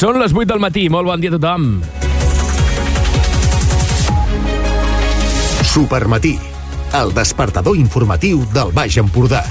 Són les 8 del matí, molt bon dia a tothom. Supermatí, el despertador informatiu del Baix Empordà.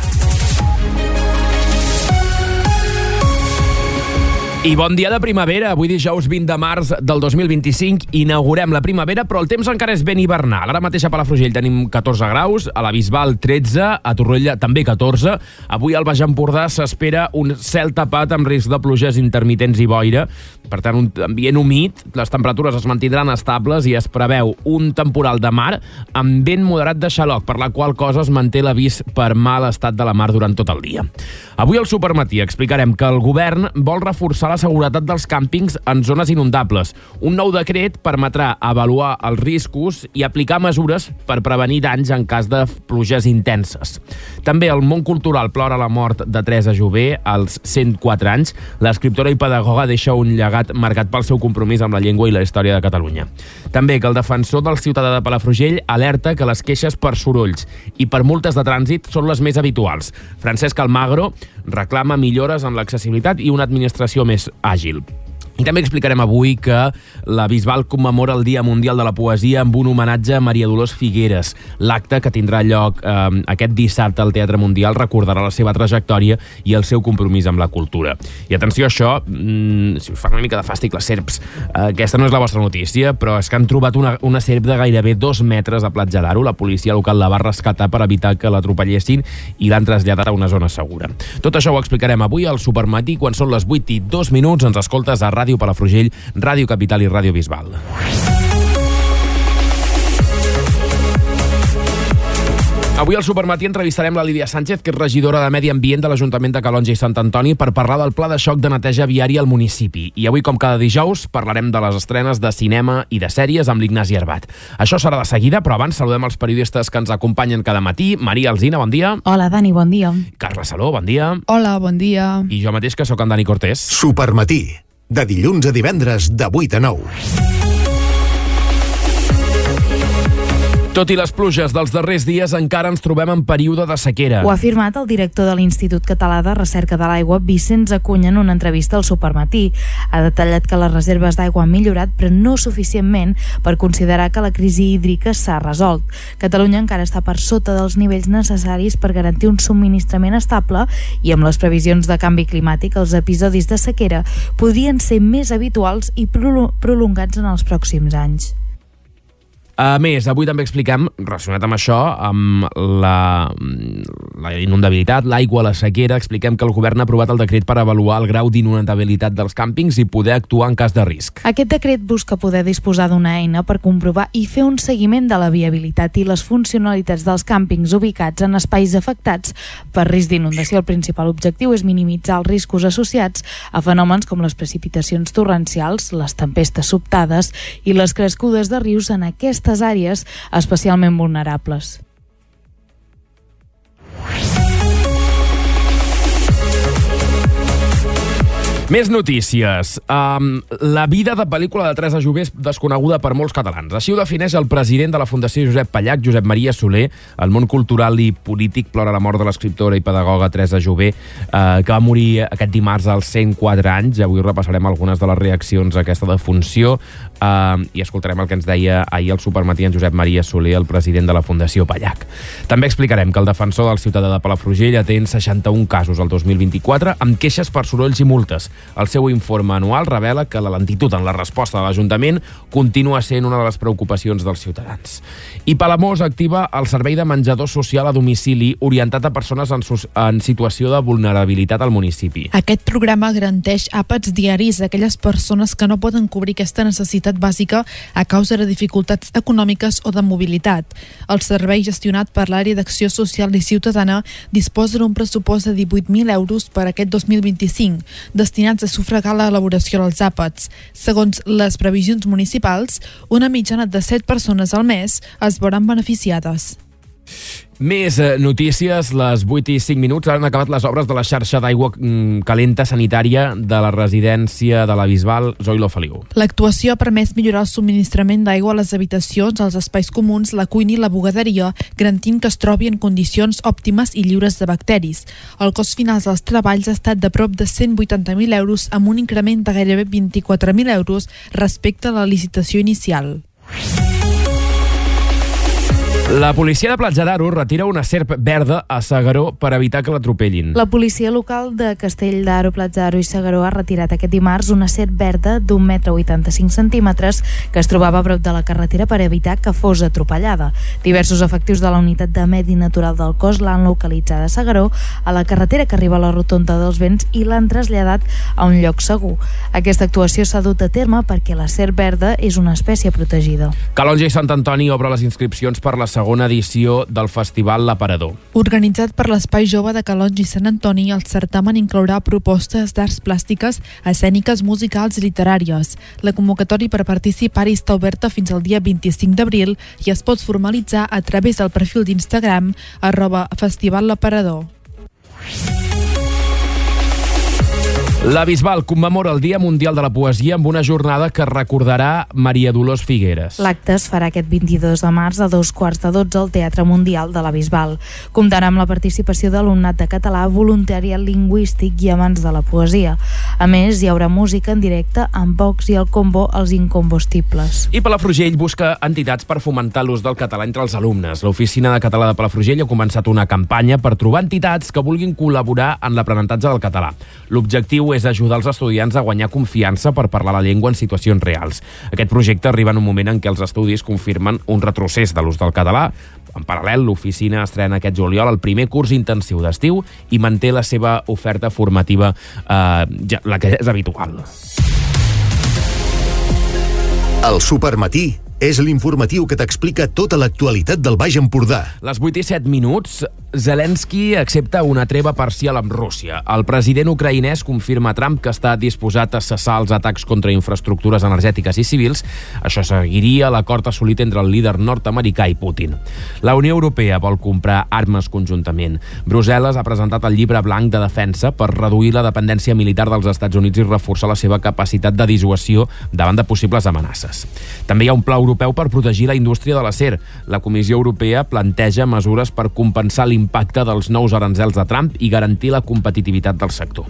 I bon dia de primavera. Avui dijous 20 de març del 2025 inaugurem la primavera, però el temps encara és ben hivernal. Ara mateix a Palafrugell tenim 14 graus, a la Bisbal 13, a Torroella també 14. Avui al Baix Empordà s'espera un cel tapat amb risc de pluges intermitents i boira. Per tant, un ambient humit, les temperatures es mantindran estables i es preveu un temporal de mar amb vent moderat de xaloc, per la qual cosa es manté l'avís per mal estat de la mar durant tot el dia. Avui al Supermatí explicarem que el govern vol reforçar la seguretat dels càmpings en zones inundables. Un nou decret permetrà avaluar els riscos i aplicar mesures per prevenir danys en cas de pluges intenses. També el món cultural plora la mort de Teresa Jové als 104 anys. L'escriptora i pedagoga deixa un llegat marcat pel seu compromís amb la llengua i la història de Catalunya. També que el defensor del ciutadà de Palafrugell alerta que les queixes per sorolls i per multes de trànsit són les més habituals. Francesc Almagro reclama millores en l'accessibilitat i una administració més àgil. I també explicarem avui que la Bisbal commemora el Dia Mundial de la Poesia amb un homenatge a Maria Dolors Figueres. L'acte, que tindrà lloc aquest dissabte al Teatre Mundial, recordarà la seva trajectòria i el seu compromís amb la cultura. I atenció a això, si us fa una mica de fàstic les serps, aquesta no és la vostra notícia, però és que han trobat una serp de gairebé 2 metres a Platja d'Aro. La policia local la va rescatar per evitar que l'atropellessin i l'han traslladat a una zona segura. Tot això ho explicarem avui al Supermatí, quan són les 8:02. Ens escoltes a Ràdio Palafrugell, Ràdio Capital i Ràdio Bisbal. Avui al Supermatí entrevistarem la Lídia Sánchez, que és regidora de Medi Ambient de l'Ajuntament de Calonge i Sant Antoni, per parlar del pla de xoc de neteja viària al municipi. I avui, com cada dijous, parlarem de les estrenes de cinema i de sèries amb l'Ignasi Herbat. Això serà de seguida, però abans saludem els periodistes que ens acompanyen cada matí. Maria Alsina, bon dia. Hola, Dani, bon dia. Carla Saló, bon dia. Hola, bon dia. I jo mateix, que sóc en Dani Cortés. Supermatí, de dilluns a divendres de 8 a 9. Tot i les pluges dels darrers dies, encara ens trobem en període de sequera. Ho ha afirmat el director de l'Institut Català de Recerca de l'Aigua, Vicenç Acuña, en una entrevista al Supermatí. Ha detallat que les reserves d'aigua han millorat, però no suficientment per considerar que la crisi hídrica s'ha resolt. Catalunya encara està per sota dels nivells necessaris per garantir un subministrament estable i, amb les previsions de canvi climàtic, els episodis de sequera podrien ser més habituals i prolongats en els pròxims anys. A més, avui també expliquem, relacionat amb això, amb la inundabilitat, l'aigua, la sequera, expliquem que el govern ha aprovat el decret per avaluar el grau d'inundabilitat dels càmpings i poder actuar en cas de risc. Aquest decret busca poder disposar d'una eina per comprovar i fer un seguiment de la viabilitat i les funcionalitats dels càmpings ubicats en espais afectats per risc d'inundació. El principal objectiu és minimitzar els riscos associats a fenòmens com les precipitacions torrencials, les tempestes sobtades i les crescudes de rius en aquestes àrees especialment vulnerables. Més notícies. La vida de pel·lícula de Teresa Jové és desconeguda per molts catalans. Així ho defineix el president de la Fundació Josep Pallach, Josep Maria Soler. El món cultural i polític plora la mort de l'escriptora i pedagoga Teresa Jové, que va morir aquest dimarts als 104 anys. Avui repassarem algunes de les reaccions a aquesta defunció i escoltarem el que ens deia ahir al Supermatí en Josep Maria Soler, el president de la Fundació Pallach. També explicarem que el defensor del ciutadà de Palafrugell atén 61 casos al 2024 amb queixes per sorolls i multes. El seu informe anual revela que la lentitud en la resposta de l'Ajuntament continua sent una de les preocupacions dels ciutadans. I Palamós activa el servei de menjador social a domicili orientat a persones en situació de vulnerabilitat al municipi. Aquest programa garanteix àpats diaris a aquelles persones que no poden cobrir aquesta necessitat bàsica a causa de dificultats econòmiques o de mobilitat. El servei, gestionat per l'Àrea d'Acció Social i Ciutadana, disposa d'un pressupost de 18.000 euros per aquest 2025, destinat a sufragar l'elaboració dels àpats. Segons les previsions municipals, una mitjana de 7 persones al mes es veuran beneficiades. Més notícies, les 8 i 5 minuts. Han acabat les obres de la xarxa d'aigua calenta sanitària de la residència de la Bisbal. Zoilo Feliu. L'actuació ha permès millorar el subministrament d'aigua a les habitacions, als espais comuns, la cuina i la bugaderia, garantint que es trobi en condicions òptimes i lliures de bacteris. El cost final dels treballs ha estat de prop de 180.000 euros, amb un increment de gairebé 24.000 euros respecte a la licitació inicial. La policia de Platja d'Aro retira una serp verda a S'Agaró per evitar que l'atropellin. La policia local de Castell d'Aro, Platja d'Aro i S'Agaró ha retirat aquest dimarts una serp verda d'1,85 m que es trobava a prop de la carretera per evitar que fos atropellada. Diversos efectius de la unitat de Medi Natural del cos l'han localitzada a S'Agaró, a la carretera que arriba a la rotonda dels Vents, i l'han traslladat a un lloc segur. Aquesta actuació s'ha dut a terme perquè la serp verda és una espècie protegida. Calonge i Sant Antoni obre les inscripcions per la segona edició del Festival L'Aparador. Organitzat per l'Espai Jove de Calonge i Sant Antoni, el certamen inclourà propostes d'arts plàstiques, escèniques, musicals i literàries. La convocatòria per participar-hi està oberta fins al dia 25 d'abril i es pot formalitzar a través del perfil d'Instagram @festivallaparador. La Bisbal commemora el Dia Mundial de la Poesia amb una jornada que recordarà Maria Dolors Figueres. L'acte es farà aquest 22 de març a 2:15 al Teatre Mundial de la Bisbal. Comptarà amb la participació d'alumnat de català, voluntariat lingüístic i amants de la poesia. A més, hi haurà música en directe amb Vox i el combo Els Incombustibles. I Palafrugell busca entitats per fomentar l'ús del català entre els alumnes. L'Oficina de Català de Palafrugell ha començat una campanya per trobar entitats que vulguin col·laborar en l'aprenentatge del català. L'objectiu és ajudar els estudiants a guanyar confiança per parlar la llengua en situacions reals. Aquest projecte arriba en un moment en què els estudis confirmen un retrocés de l'ús del català. En paral·lel, l'oficina estrena aquest juliol el primer curs intensiu d'estiu i manté la seva oferta formativa, la que és habitual. El Supermatí és l'informatiu que t'explica tota l'actualitat del Baix Empordà. Les 8 i 7 minuts, Zelensky accepta una treva parcial amb Rússia. El president ucraïnès confirma a Trump que està disposat a cessar els atacs contra infraestructures energètiques i civils. Això seguiria l'acord assolit entre el líder nord-americà i Putin. La Unió Europea vol comprar armes conjuntament. Brussel·les ha presentat el llibre blanc de defensa per reduir la dependència militar dels Estats Units i reforçar la seva capacitat de dissuasió davant de possibles amenaces. També hi ha un pla europeu per protegir la indústria de l'acer. La Comissió Europea planteja mesures per compensar l'impacte dels nous aranzels de Trump i garantir la competitivitat del sector.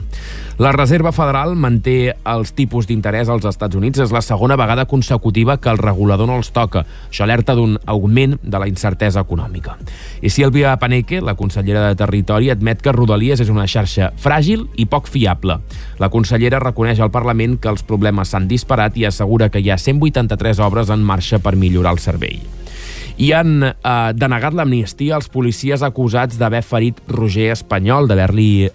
La Reserva Federal manté els tipus d'interès als Estats Units. És la segona vegada consecutiva que el regulador no els toca. Això alerta d'un augment de la incertesa econòmica. I Sílvia Paneque, la consellera de Territori, admet que Rodalies és una xarxa fràgil i poc fiable. La consellera reconeix al Parlament que els problemes s'han disparat i assegura que hi ha 183 obres en marxa per millorar el servei. I han denegat l'amnistia als policies acusats d'haver ferit Roger Espanyol, d'haver-li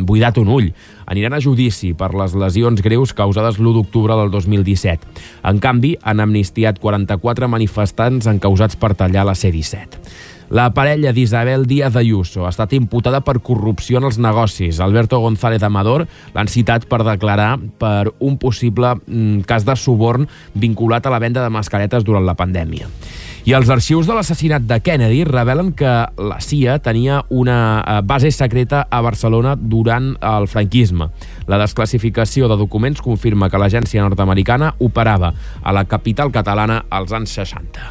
buidat un ull. Aniran a judici per les lesions greus causades l'1 d'octubre del 2017. En canvi, han amnistiat 44 manifestants encausats per tallar la C-17. La parella d'Isabel Díaz Ayuso ha estat imputada per corrupció en els negocis. Alberto González Amador l'han citat per declarar per un possible cas de suborn vinculat a la venda de mascaretes durant la pandèmia. I els arxius de l'assassinat de Kennedy revelen que la CIA tenia una base secreta a Barcelona durant el franquisme. La desclassificació de documents confirma que l'agència nord-americana operava a la capital catalana als anys 60.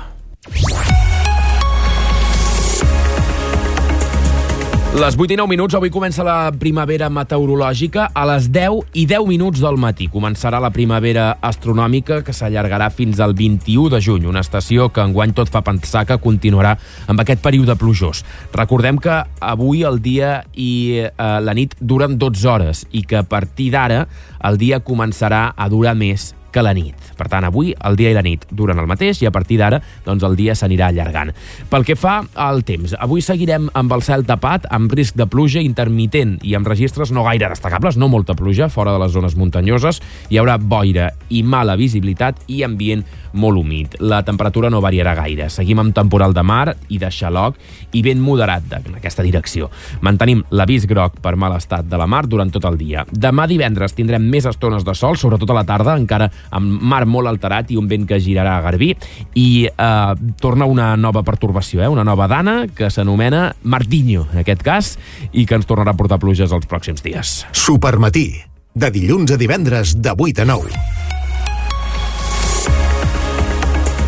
Les 8 i 9 minuts, avui comença la primavera meteorològica. A les 10 i 10 minuts del matí començarà la primavera astronòmica, que s'allargarà fins al 21 de juny, una estació que enguany tot fa pensar que continuarà amb aquest període plujós. Recordem que avui el dia i la nit duren 12 hores i que a partir d'ara el dia començarà a durar més que la nit. Per tant, avui el dia i la nit duren el mateix i a partir d'ara doncs, el dia s'anirà allargant. Pel que fa al temps, avui seguirem amb el cel tapat, amb risc de pluja intermitent i amb registres no gaire destacables, no molta pluja, fora de les zones muntanyoses. Hi haurà boira i mala visibilitat i ambient molt humit. La temperatura no variarà gaire. Seguim amb temporal de mar i de xaloc i vent moderat en aquesta direcció. Mantenim l'avís groc per mal estat de la mar durant tot el dia. Demà divendres tindrem més estones de sol, sobretot a la tarda, encara amb mar molt alterat i un vent que girarà a garbí, i torna una nova pertorbació, una nova dana que s'anomena Martinho, en aquest cas, i que ens tornarà a portar pluges els pròxims dies. Supermatí, de dilluns a divendres, de 8 a 9.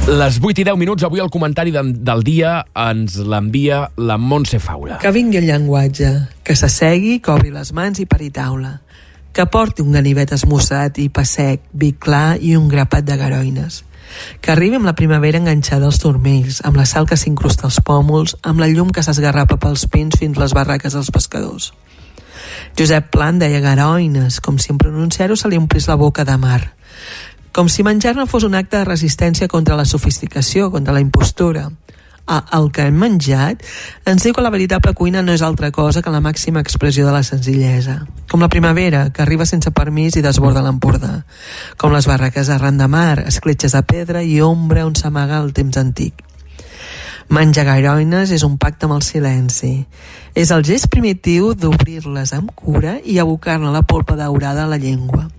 Les 8 i 10 minuts, avui el comentari del dia ens l'envia la Montse Faura. Que vingui el llenguatge, que s'assegui, que obri les mans i pari taula, que porti un ganivet esmussat i pa sec, vi clar i un grapat de garoines, que arribi amb la primavera enganxada als turmells, amb la sal que s'incrusta als pòmuls, amb la llum que s'esgarrapa pels pins fins les barraques dels pescadors. Josep Pla deia garoines, com si en pronunciar-ho se li omplís la boca de mar, com si menjar-ne fos un acte de resistència contra la sofisticació, contra la impostura. El que hem menjat ens diu que la veritable cuina no és altra cosa que la màxima expressió de la senzillesa. Com la primavera, que arriba sense permís i desborda l'Empordà. Com les barraques arran de mar, escletxes de pedra i ombra on s'amaga el temps antic. Menjar garoines és un pacte amb el silenci. És el gest primitiu d'obrir-les amb cura i abocar-ne la polpa daurada a la llengua.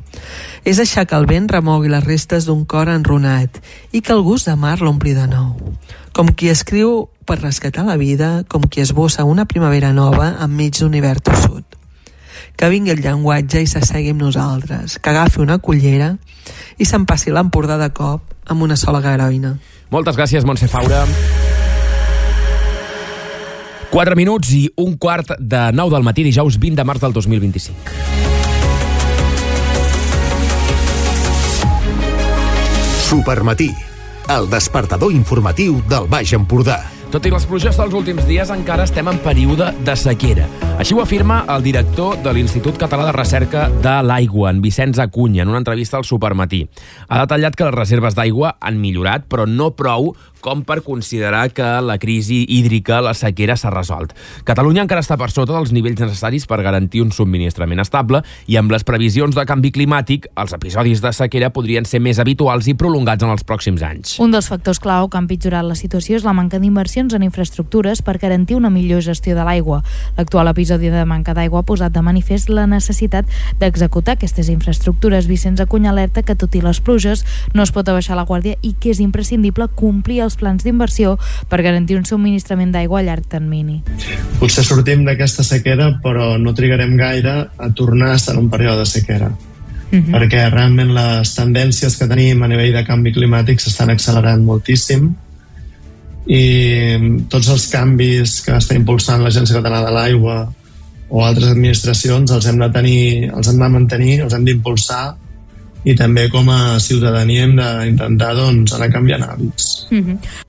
És deixar que el vent remogui les restes d'un cor enrunat i que el gust de mar l'ompli de nou. Com qui escriu per rescatar la vida, com qui esbossa una primavera nova enmig d'un hivern tossut. Que vingui el llenguatge i s'assegui amb nosaltres, que agafi una cullera i s'empassi l'Empordà de cop amb una sola garoina. Moltes gràcies, Montse Faura. 4 minuts i un quart de 9 del matí, dijous 20 de març del 2025. Supermatí, el despertador informatiu del Baix Empordà. Tot i les pluges dels últims dies, encara estem en període de sequera. Així ho afirma el director de l'Institut Català de Recerca de l'Aigua, en Vicenç Acuña, en una entrevista al Supermatí. Ha detallat que les reserves d'aigua han millorat, però no prou com per considerar que la crisi hídrica, la sequera, s'ha resolt. Catalunya encara està per sota dels nivells necessaris per garantir un subministrament estable i amb les previsions de canvi climàtic, els episodis de sequera podrien ser més habituals i prolongats en els pròxims anys. Un dels factors clau que ha empitjorat la situació és la manca d'inversions en infraestructures per garantir una millor gestió de l'aigua. L'actual episodi de manca d'aigua ha posat de manifest la necessitat d'executar aquestes infraestructures. Vicenç Acuña alerta que, tot i les pluges, no es pot abaixar la guàrdia i que és imprescindible complir els plans d'inversió per garantir un subministrament d'aigua a llarg termini. Potser sortim d'aquesta sequera, però no trigarem gaire a tornar a estar en un període de sequera. Perquè realment les tendències que tenim a nivell de canvi climàtic s'estan accelerant moltíssim i tots els canvis que està impulsant l'Agència Catalana de l'Aigua o altres administracions els hem de mantenir, els hem d'impulsar, i també com a ciutadania hem d'intentar anar canviant hàbits.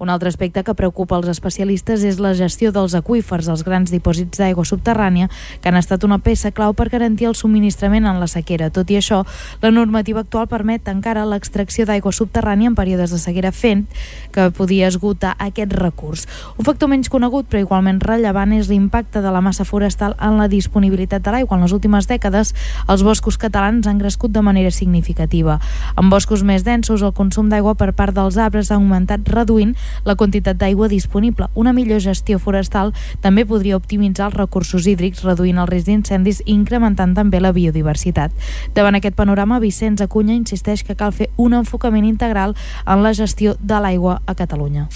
Un altre aspecte que preocupa els especialistes és la gestió dels aqüífers, els grans dipòsits d'aigua subterrània, que han estat una peça clau per garantir el subministrament en la sequera. Tot i això, la normativa actual permet encara l'extracció d'aigua subterrània en períodes de sequera, fent que podia esgotar aquest recurs. Un factor menys conegut però igualment rellevant és l'impacte de la massa forestal en la disponibilitat de l'aigua. En les últimes dècades, els boscos catalans han crescut de manera significativa. En boscos més densos, el consum d'aigua per part dels arbres ha augmentat, reduint la quantitat d'aigua disponible. Una millor gestió forestal també podria optimitzar els recursos hídrics, reduint el risc d'incendis i incrementant també la biodiversitat. Davant aquest panorama, Vicenç Acuña insisteix que cal fer un enfocament integral en la gestió de l'aigua a Catalunya.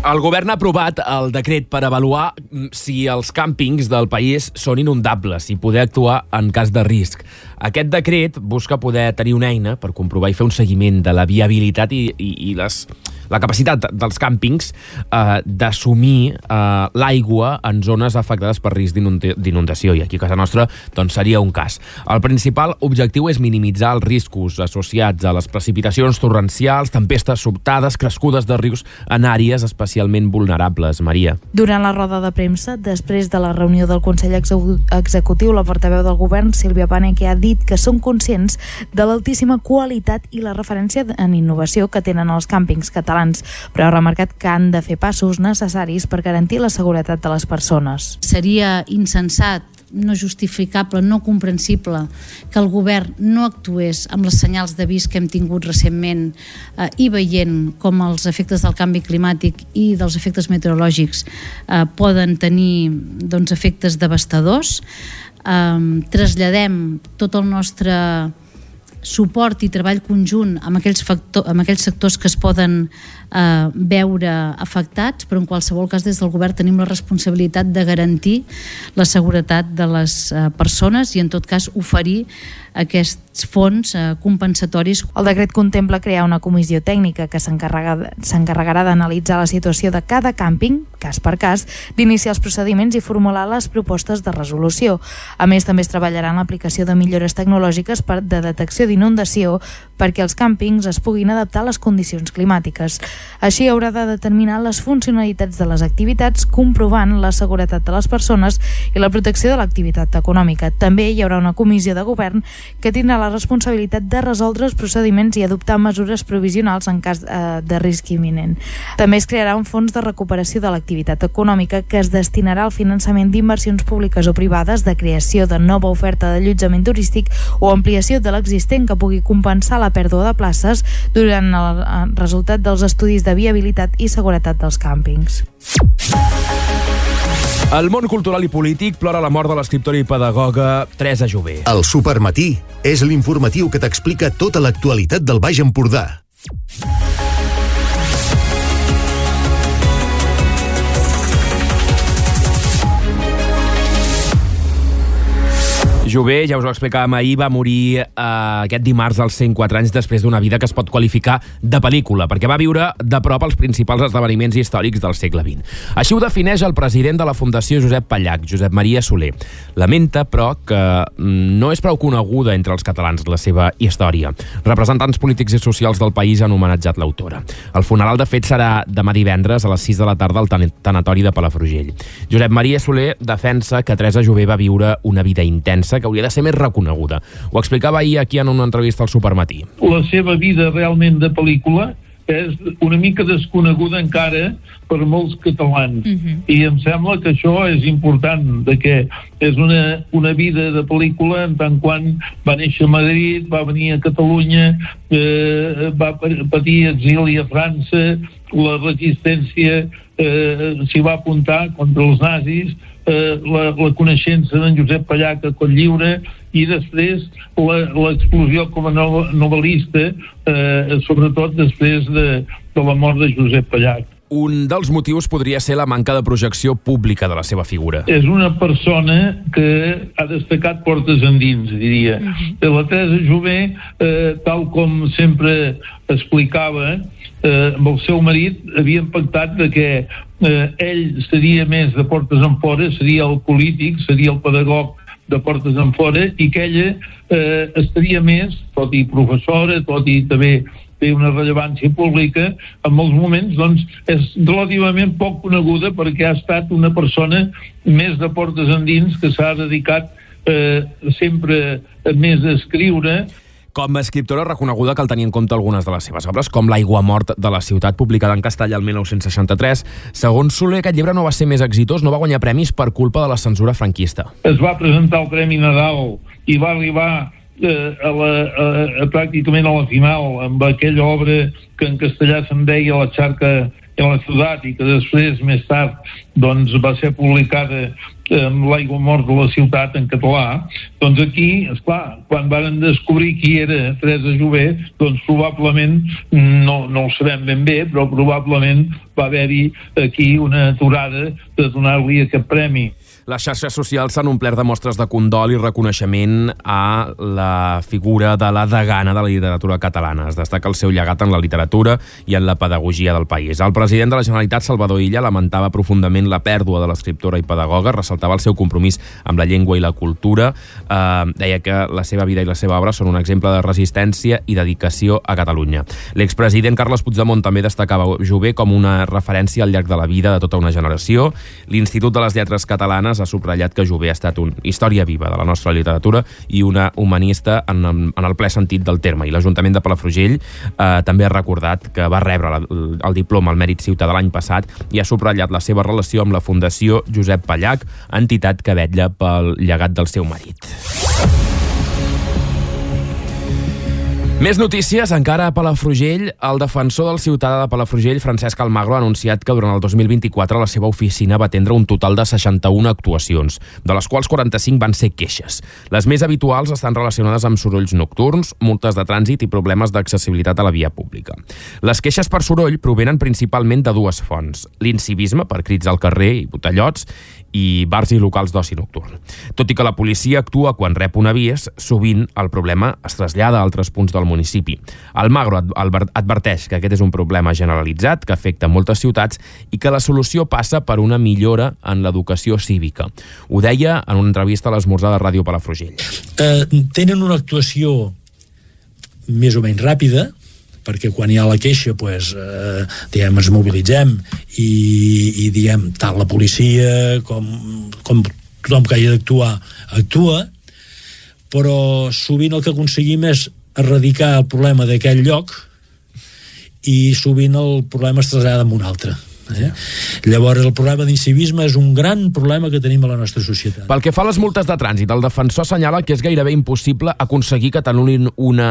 El govern ha aprovat el decret per avaluar si els càmpings del país són inundables i poder actuar en cas de risc. Aquest decret busca poder tenir una eina per comprovar i fer un seguiment de la viabilitat i la capacitat dels càmpings d'assumir l'aigua en zones afectades per risc d'inundació, i aquí a casa nostra doncs, seria un cas. El principal objectiu és minimitzar els riscos associats a les precipitacions torrencials, tempestes sobtades, crescudes de rius en àrees especialment vulnerables. Maria. Durant la roda de premsa, després de la reunió del Consell Executiu, la portaveu del govern, Sílvia Paneque, ha dit que són conscients de l'altíssima qualitat i la referència en innovació que tenen els càmpings catalans, però ha remarcat que han de fer passos necessaris per garantir la seguretat de les persones. Seria insensat no justificable, no comprensible que el govern no actués amb les senyals d'avís que hem tingut recentment i veient com els efectes del canvi climàtic i dels efectes meteorològics poden tenir efectes devastadors. Traslladem tot el nostre suport i treball conjunt amb aquells sectors que es poden veure afectats, però en qualsevol cas des del govern tenim la responsabilitat de garantir la seguretat de les persones i en tot cas oferir aquests fons compensatoris. El decret contempla crear una comissió tècnica que s'encarregarà d'analitzar la situació de cada càmping, cas per cas, d'iniciar els procediments i formular les propostes de resolució. A més, també es treballarà en l'aplicació de millores tecnològiques de detecció d'inundació perquè els càmpings es puguin adaptar a les condicions climàtiques. Així haurà de determinar les funcionalitats de les activitats, comprovant la seguretat de les persones i la protecció de l'activitat econòmica. També hi haurà una comissió de govern que tindrà la responsabilitat de resoldre els procediments i adoptar mesures provisionals en cas de risc imminent. També es crearà un fons de recuperació de l'activitat econòmica que es destinarà al finançament d'inversions públiques o privades, de creació de nova oferta d'allotjament turístic o ampliació de l'existent que pugui compensar la pèrdua de places durant el resultat dels estudis de viabilitat i seguretat dels càmpings. El món cultural i polític plora la mort de l'escriptora i pedagoga Teresa Jové. El Supermatí és l'informatiu que t'explica tota l'actualitat del Baix Empordà. Jové, ja us ho explicàvem ahir, va morir aquest dimarts als 104 anys després d'una vida que es pot qualificar de pel·lícula, perquè va viure de prop els principals esdeveniments històrics del segle XX. Així ho defineix el president de la Fundació Josep Pallach, Josep Maria Soler. Lamenta, però, que no és prou coneguda entre els catalans la seva història. Representants polítics i socials del país han homenatjat l'autora. El funeral, de fet, serà demà divendres a les 6 de la tarda al tanatori de Palafrugell. Josep Maria Soler defensa que Teresa Jové va viure una vida intensa que hauria de ser més reconeguda. Ho explicava ahir aquí en una entrevista al Supermatí. La seva vida realment de pel·lícula és una mica desconeguda encara per molts catalans. I em sembla que això és important, de que és una vida de pel·lícula en tant quan va néixer a Madrid, va venir a Catalunya, va patir exili a França, la resistència s'hi va apuntar contra els nazis, la coneixença d'en Josep Pallach a Cotlliure i després l'explosió com a novel·lista, sobretot després de la mort de Josep Pallach. Un dels motius podria ser la manca de projecció pública de la seva figura. És una persona que ha destacat portes endins, diria. La Teresa Jové, tal com sempre explicava, amb el seu marit havien pactat que ell seria més de portes enfora, seria el polític, seria el pedagog de portes enfora, i que ella estaria més, tot i professora, tot i també té una rellevància pública, en molts moments doncs, és relativament poc coneguda perquè ha estat una persona més de portes endins que s'ha dedicat sempre més a escriure. Com a escriptora reconeguda cal tenir en compte algunes de les seves obres, com L'aiguamort de la ciutat, publicada en castellà el 1963. Segons Soler, aquest llibre no va ser més exitós, no va guanyar premis per culpa de la censura franquista. Es va presentar el Premi Nadal i va arribar pràcticament a la final amb aquella obra que en castellà se'n deia La xarca en la ciutat i que després, més tard, doncs va ser publicada amb L'aiguamort de la ciutat en català. Doncs aquí, esclar, quan van descobrir qui era Teresa Jové, doncs probablement, no ho sabem ben bé, però probablement va haver-hi aquí una aturada de donar-li aquest premi. Les xarxes socials s'han omplert de mostres de condol i reconeixement a la figura de la degana de la literatura catalana. Es destaca el seu llegat en la literatura i en la pedagogia del país. El president de la Generalitat, Salvador Illa, lamentava profundament la pèrdua de l'escriptora i pedagoga, ressaltava el seu compromís amb la llengua i la cultura, deia que la seva vida i la seva obra són un exemple de resistència i dedicació a Catalunya. L'expresident Carles Puigdemont també destacava Jové com una referència al llarg de la vida de tota una generació. L'Institut de les Lletres Catalanes ha subratllat que Jové ha estat una història viva de la nostra literatura i una humanista en el ple sentit del terme. I l'Ajuntament de Palafrugell també ha recordat que va rebre el diploma al Mèrit Ciutadà l'any passat i ha subratllat la seva relació amb la Fundació Josep Pallach, entitat que vetlla pel llegat del seu marit. Més notícies, encara a Palafrugell. El defensor del ciutadà de Palafrugell, Francesc Almagro, ha anunciat que durant el 2024 la seva oficina va atendre un total de 61 actuacions, de les quals 45 van ser queixes. Les més habituals estan relacionades amb sorolls nocturns, multes de trànsit i problemes d'accessibilitat a la via pública. Les queixes per soroll provenen principalment de dues fonts: l'incivisme, per crits al carrer i botellots, i bars i locals d'oci nocturn. Tot i que la policia actua quan rep un avís, sovint el problema es trasllada a altres punts del municipi. Almagro adverteix que aquest és un problema generalitzat que afecta moltes ciutats i que la solució passa per una millora en l'educació cívica. Ho deia en una entrevista a l'Esmorzar de Ràdio Palafrugell. Tenen una actuació més o menys ràpida, perquè quan hi ha la queixa ens mobilitzem i diem, tant la policia com tothom que hagi d'actuar actua, però sovint el que aconseguim és erradicar el problema d'aquell lloc i sovint el problema es trasllada en un altre. Llavors el problema d'incivisme és un gran problema que tenim a la nostra societat. Pel que fa a les multes de trànsit, el defensor assenyala que és gairebé impossible aconseguir que t'anul·lin una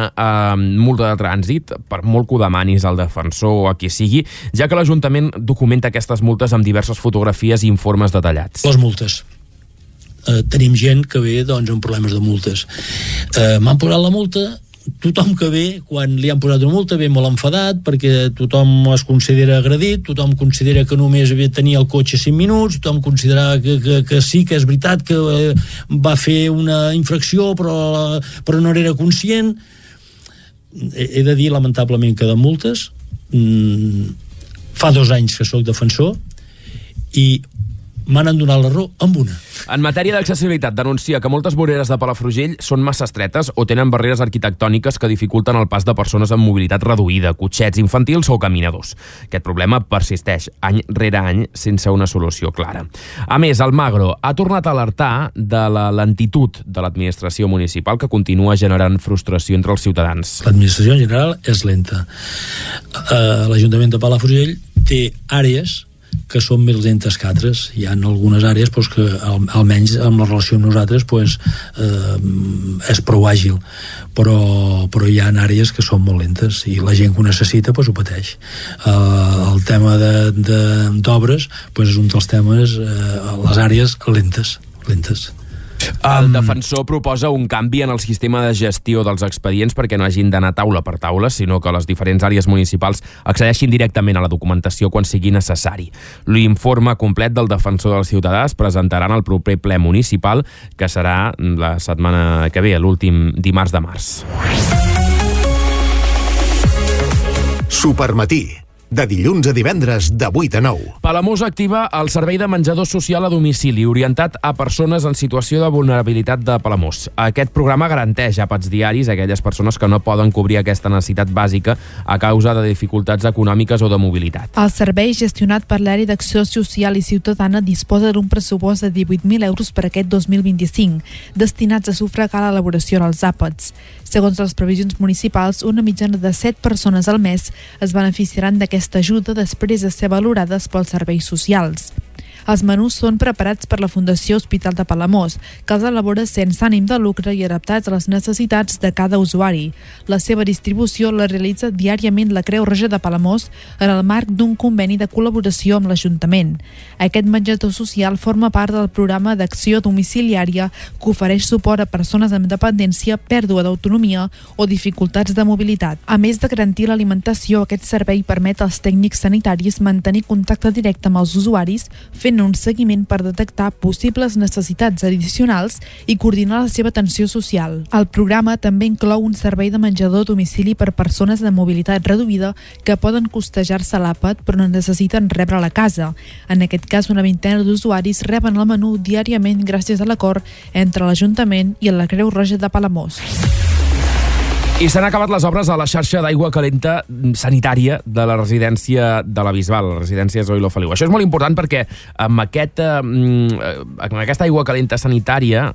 multa de trànsit, per molt que ho demanis al defensor o a qui sigui, ja que l'Ajuntament documenta aquestes multes amb diverses fotografies i informes detallats. Les multes. Tenim gent que ve amb problemes de multes. M'han posat la multa. Tothom que ve, quan li han posat una multa, ve molt enfadat perquè tothom es considera agredit, tothom considera que només tenia el cotxe 5 minuts, tothom considera que sí, que és veritat que va fer una infracció però no era conscient. He de dir, lamentablement, que de multes fa 2 anys que sóc defensor i m'han donat la raó amb una. En matèria d'accessibilitat, denuncia que moltes voreres de Palafrugell són massa estretes o tenen barreres arquitectòniques que dificulten el pas de persones amb mobilitat reduïda, cotxets infantils o caminadors. Aquest problema persisteix any rere any sense una solució clara. A més, Almagro ha tornat a alertar de la lentitud de l'administració municipal que continua generant frustració entre els ciutadans. L'administració en general és lenta. L'Ajuntament de Palafrugell té àrees que són més lentes que altres. Hi ha algunes àrees que almenys amb la relació amb nosaltres és prou àgil, però hi ha àrees que són molt lentes i la gent que ho necessita ho pateix. El tema d'obres és un dels temes, les àrees lentes. El defensor proposa un canvi en el sistema de gestió dels expedients perquè no hagin d'anar taula per taula, sinó que les diferents àrees municipals accedeixin directament a la documentació quan sigui necessari. L'informe complet del defensor dels ciutadans presentaran al proper ple municipal, que serà la setmana que ve, l'últim dimarts de març. Supermatí, de dilluns a divendres de 8 a 9. Palamós activa el servei de menjador social a domicili orientat a persones en situació de vulnerabilitat de Palamós. Aquest programa garanteix àpats diaris a aquelles persones que no poden cobrir aquesta necessitat bàsica a causa de dificultats econòmiques o de mobilitat. El servei, gestionat per l'Àrea d'Acció Social i Ciutadana, disposa d'un pressupost de 18.000 euros per aquest 2025, destinats a sufragar l'elaboració dels àpats. Segons les previsions municipals, una mitjana de 7 persones al mes es beneficiaran d'aquesta ajuda després de ser valorades pels serveis socials. Els menús són preparats per la Fundació Hospital de Palamós, que els elabora sense ànim de lucre i adaptats a les necessitats de cada usuari. La seva distribució la realitza diàriament la Creu Roja de Palamós en el marc d'un conveni de col·laboració amb l'Ajuntament. Aquest menjador social forma part del programa d'acció domiciliària que ofereix suport a persones amb dependència, pèrdua d'autonomia o dificultats de mobilitat. A més de garantir l'alimentació, aquest servei permet als tècnics sanitaris mantenir contacte directe amb els usuaris, fent un seguiment per detectar possibles necessitats addicionals i coordinar la seva atenció social. El programa també inclou un servei de menjador a domicili per persones de mobilitat reduïda que poden costejar-se l'àpat però no necessiten rebre a la casa. En aquest cas, una vintena d'usuaris reben el menú diàriament gràcies a l'acord entre l'Ajuntament i la Creu Roja de Palamós. I s'han acabat les obres a la xarxa d'aigua calenta sanitària de la residència de la Bisbal, la residència Zoilo Feliu. Això és molt important perquè amb aquesta aigua calenta sanitària,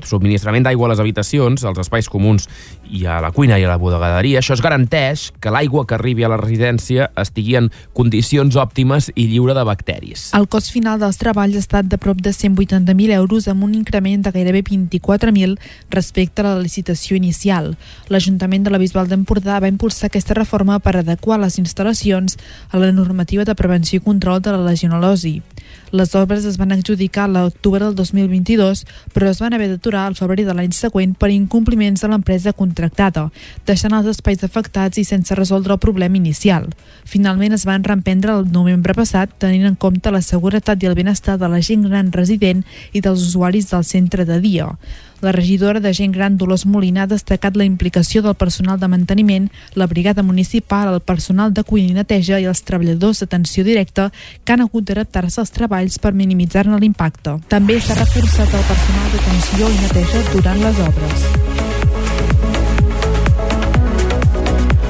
subministrament d'aigua a les habitacions, als espais comuns i a la cuina i a la bodegaderia, això es garanteix que l'aigua que arribi a la residència estigui en condicions òptimes i lliure de bacteris. El cost final dels treballs ha estat de prop de 180.000 euros amb un increment de gairebé 24.000 respecte a la licitació inicial. L'Ajuntament de la Bisbal d'Empordà va impulsar aquesta reforma per adequar les instal·lacions a la normativa de prevenció i control de la legionel·losi. Les obres es van adjudicar a l'octubre del 2022, però es van haver d'aturar al febrer de l'any següent per incompliments de l'empresa contractada, deixant els espais afectats i sense resoldre el problema inicial. Finalment es van reemprendre el novembre passat, tenint en compte la seguretat i el benestar de la gent gran resident i dels usuaris del centre de dia. La regidora de Gent Gran, Dolors Molina, ha destacat la implicació del personal de manteniment, la brigada municipal, el personal de cuina i neteja i els treballadors d'atenció directa que han hagut d'adaptar-se als treballs per minimitzar-ne l'impacte. També s'ha reforçat el personal d'atenció i neteja durant les obres.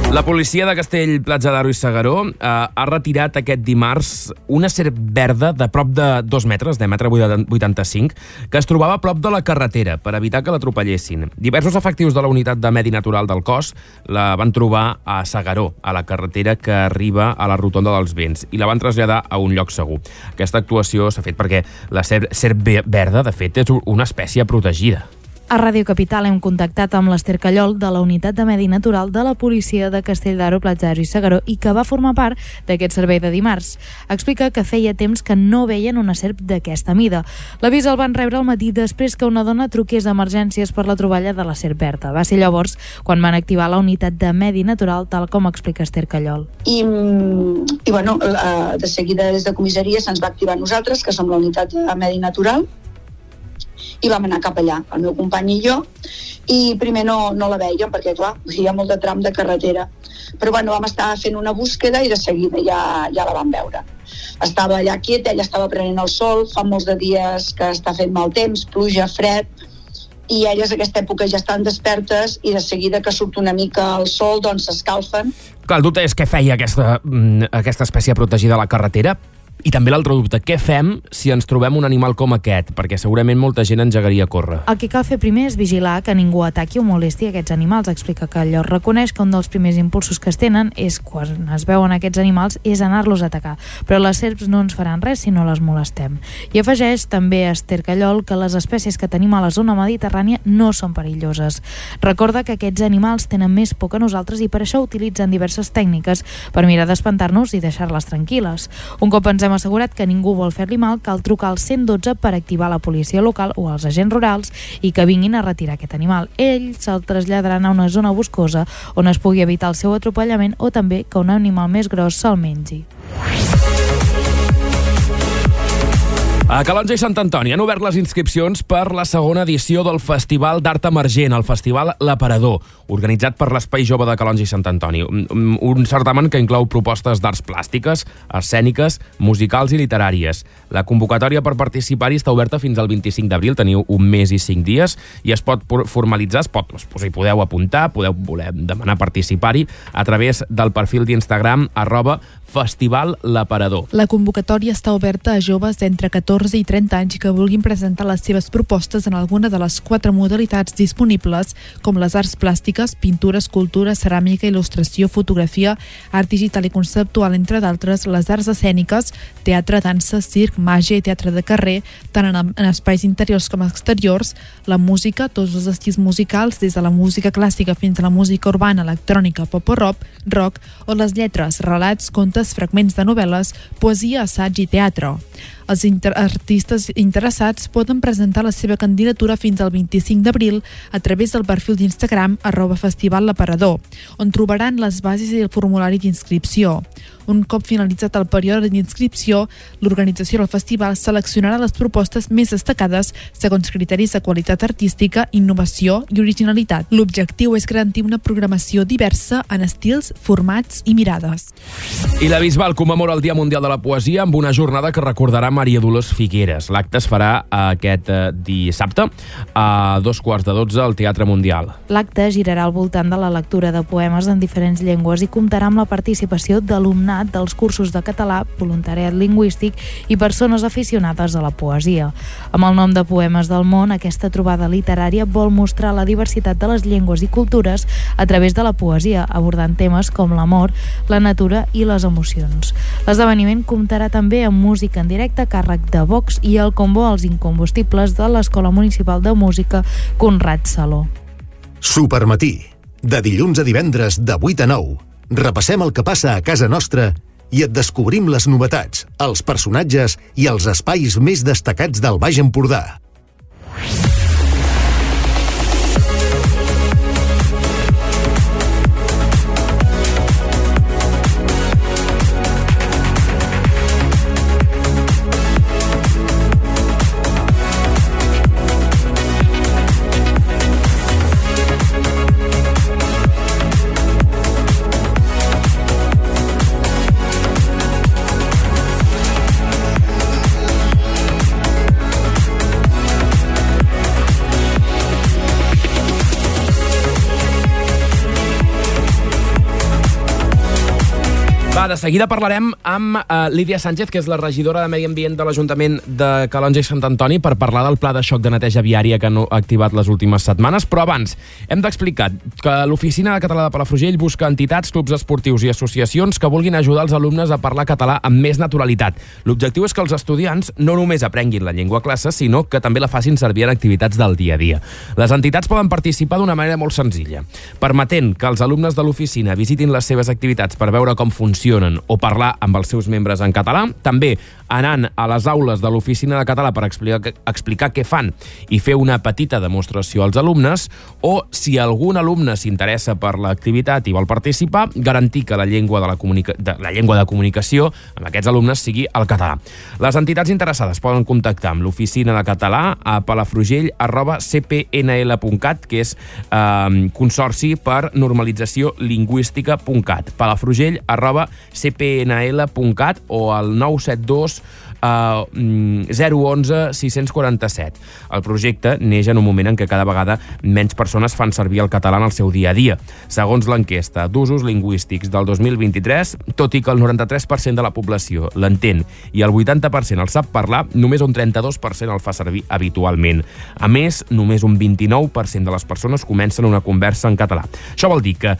La policia de Castell, Platja d'Aro i S'Agaró ha retirat aquest dimarts una serp verda de prop de 2 metres, de 1,85 m, que es trobava a prop de la carretera per evitar que l'atropellessin. Diversos efectius de la unitat de Medi Natural del cos la van trobar a S'Agaró, a la carretera que arriba a la rotonda dels Vents, i la van traslladar a un lloc segur. Aquesta actuació s'ha fet perquè la serp verda, de fet, és una espècie protegida. A Ràdio Capital hem contactat amb l'Ester Callol de la Unitat de Medi Natural de la Policia de Castell d'Aro, Platja d'Aro i S'Agaró i que va formar part d'aquest servei de dimarts. Explica que feia temps que no veien una serp d'aquesta mida. L'avís el van rebre al matí després que una dona truqués a emergències per la troballa de la serp verda. Va ser llavors quan van activar la Unitat de Medi Natural, tal com explica Ester Callol. I bueno, de seguida des de comissaria se'ns va activar nosaltres, que som la Unitat de Medi Natural, i vam anar cap allà, el meu company i jo, i primer no la vèiem perquè, clar, hi ha molt de tram de carretera, però bueno, vam estar fent una búsqueda i de seguida ja la vam veure. Estava allà quieta, ella estava prenent el sol, fa molts de dies que està fent mal temps, pluja, fred, i elles a aquesta època ja estan despertes i de seguida que surt una mica el sol, doncs s'escalfen. Clar, el dubte és què feia aquesta espècie protegida a la carretera. I també l'altre dubte, què fem si ens trobem un animal com aquest? Perquè segurament molta gent engegaria a córrer. El que cal fer primer és vigilar que ningú ataqui o molesti aquests animals. Explica que allò reconeix que un dels primers impulsos que es tenen és, quan es veuen aquests animals, és anar-los a atacar. Però les serps no ens faran res si no les molestem. I afegeix també a Ester Callol que les espècies que tenim a la zona mediterrània no són perilloses. Recorda que aquests animals tenen més por que nosaltres i per això utilitzen diverses tècniques per mirar d'espantar-nos i deixar-les tranquil·les. Un cop ens hem assegurat que ningú vol fer-li mal, cal trucar al 112 per activar la policia local o els agents rurals i que vinguin a retirar aquest animal. Ells se'l traslladaran a una zona boscosa on es pugui evitar el seu atropellament o també que un animal més gros se'l mengi. A Calonge i Sant Antoni han obert les inscripcions per la segona edició del Festival d'Art Emergent, el Festival L'Aparador, organitzat per l'Espai Jove de Calonge i Sant Antoni. Un certamen que inclou propostes d'arts plàstiques, escèniques, musicals i literàries. La convocatòria per participar-hi està oberta fins al 25 d'abril, teniu 1 mes i 5 dies, i es pot formalitzar, hi podeu apuntar, podeu voler demanar participar-hi a través del perfil d'Instagram @Festival L'Aparador. La convocatòria està oberta a joves d'entre 14 i 30 anys que vulguin presentar les seves propostes en alguna de les 4 modalitats disponibles, com les arts plàstiques, pintura, escultura, ceràmica, il·lustració, fotografia, art digital i conceptual, entre d'altres, les arts escèniques, teatre, dansa, circ, màgia i teatre de carrer, tant en espais interiors com exteriors, la música, tots els estils musicals, des de la música clàssica fins a la música urbana, electrònica, pop o rock, o les lletres, relats, contes, fragments de novel·les, poesia, assaig i teatre. Els artistes interessats poden presentar la seva candidatura fins al 25 d'abril a través del perfil d'Instagram @Festival L'Aparador, on trobaran les bases i el formulari d'inscripció. Un cop finalitzat el període d'inscripció, l'organització del festival seleccionarà les propostes més destacades segons criteris de qualitat artística, innovació i originalitat. L'objectiu és garantir una programació diversa en estils, formats i mirades. I la Bisbal commemora el Dia Mundial de la Poesia amb una jornada que recordarà Maria Dolors Figueres. L'acte es farà aquest dissabte a 2:15 al Teatre Mundial. L'acte girarà al voltant de la lectura de poemes en diferents llengües i comptarà amb la participació d'alumnat dels cursos de català, voluntariat lingüístic i persones aficionades a la poesia. Amb el nom de Poemes del Món, aquesta trobada literària vol mostrar la diversitat de les llengües i cultures a través de la poesia, abordant temes com l'amor, la natura i les emocions. L'esdeveniment comptarà també amb música en directe a càrrec de Vox i el combo als incombustibles de l'Escola Municipal de Música Conrad Saló. Supermatí, de dilluns a divendres de 8 a 9. Repassem el que passa a casa nostra i et descobrim les novetats, els personatges i els espais més destacats del Baix Empordà. De seguida parlarem amb Lídia Sánchez, que és la regidora de Medi Ambient de l'Ajuntament de Calonge i Sant Antoni, per parlar del pla de xoc de neteja viària que han activat les últimes setmanes. Però abans, hem d'explicar que l'Oficina Català de Palafrugell busca entitats, clubs esportius i associacions que vulguin ajudar els alumnes a parlar català amb més naturalitat. L'objectiu és que els estudiants no només aprenguin la llengua a classe, sinó que també la facin servir en activitats del dia a dia. Les entitats poden participar d'una manera molt senzilla, permetent que els alumnes de l'oficina visitin les seves activitats per veure com funcionen o parlar amb els seus membres en català, també anant a les aules de l'Oficina de Català per explicar què fan i fer una petita demostració als alumnes, o si algun alumne s'interessa per l'activitat i vol participar, garantir que la llengua de comunicació amb aquests alumnes sigui el català. Les entitats interessades poden contactar amb l'Oficina de Català a palafrugell@cpnl.cat, que és Consorci per Normalització Lingüística.cat, palafrugell@cpnl.cat o al 972 011 647. El projecte neix en un moment en què cada vegada menys persones fan servir el català en el seu dia a dia. Segons l'enquesta d'usos lingüístics del 2023, tot i que el 93% de la població l'entén i el 80% el sap parlar, només un 32% el fa servir habitualment. A més, només un 29% de les persones comencen una conversa en català. Això vol dir que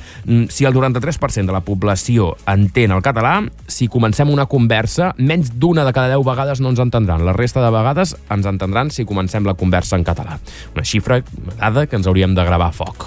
si el 93% de la població entén el català, si comencem una conversa, menys d'una de cada 10 vegades no ens entendran. La resta de vegades ens entendran si comencem la conversa en català. Una xifra, una dada que ens hauríem de gravar a foc.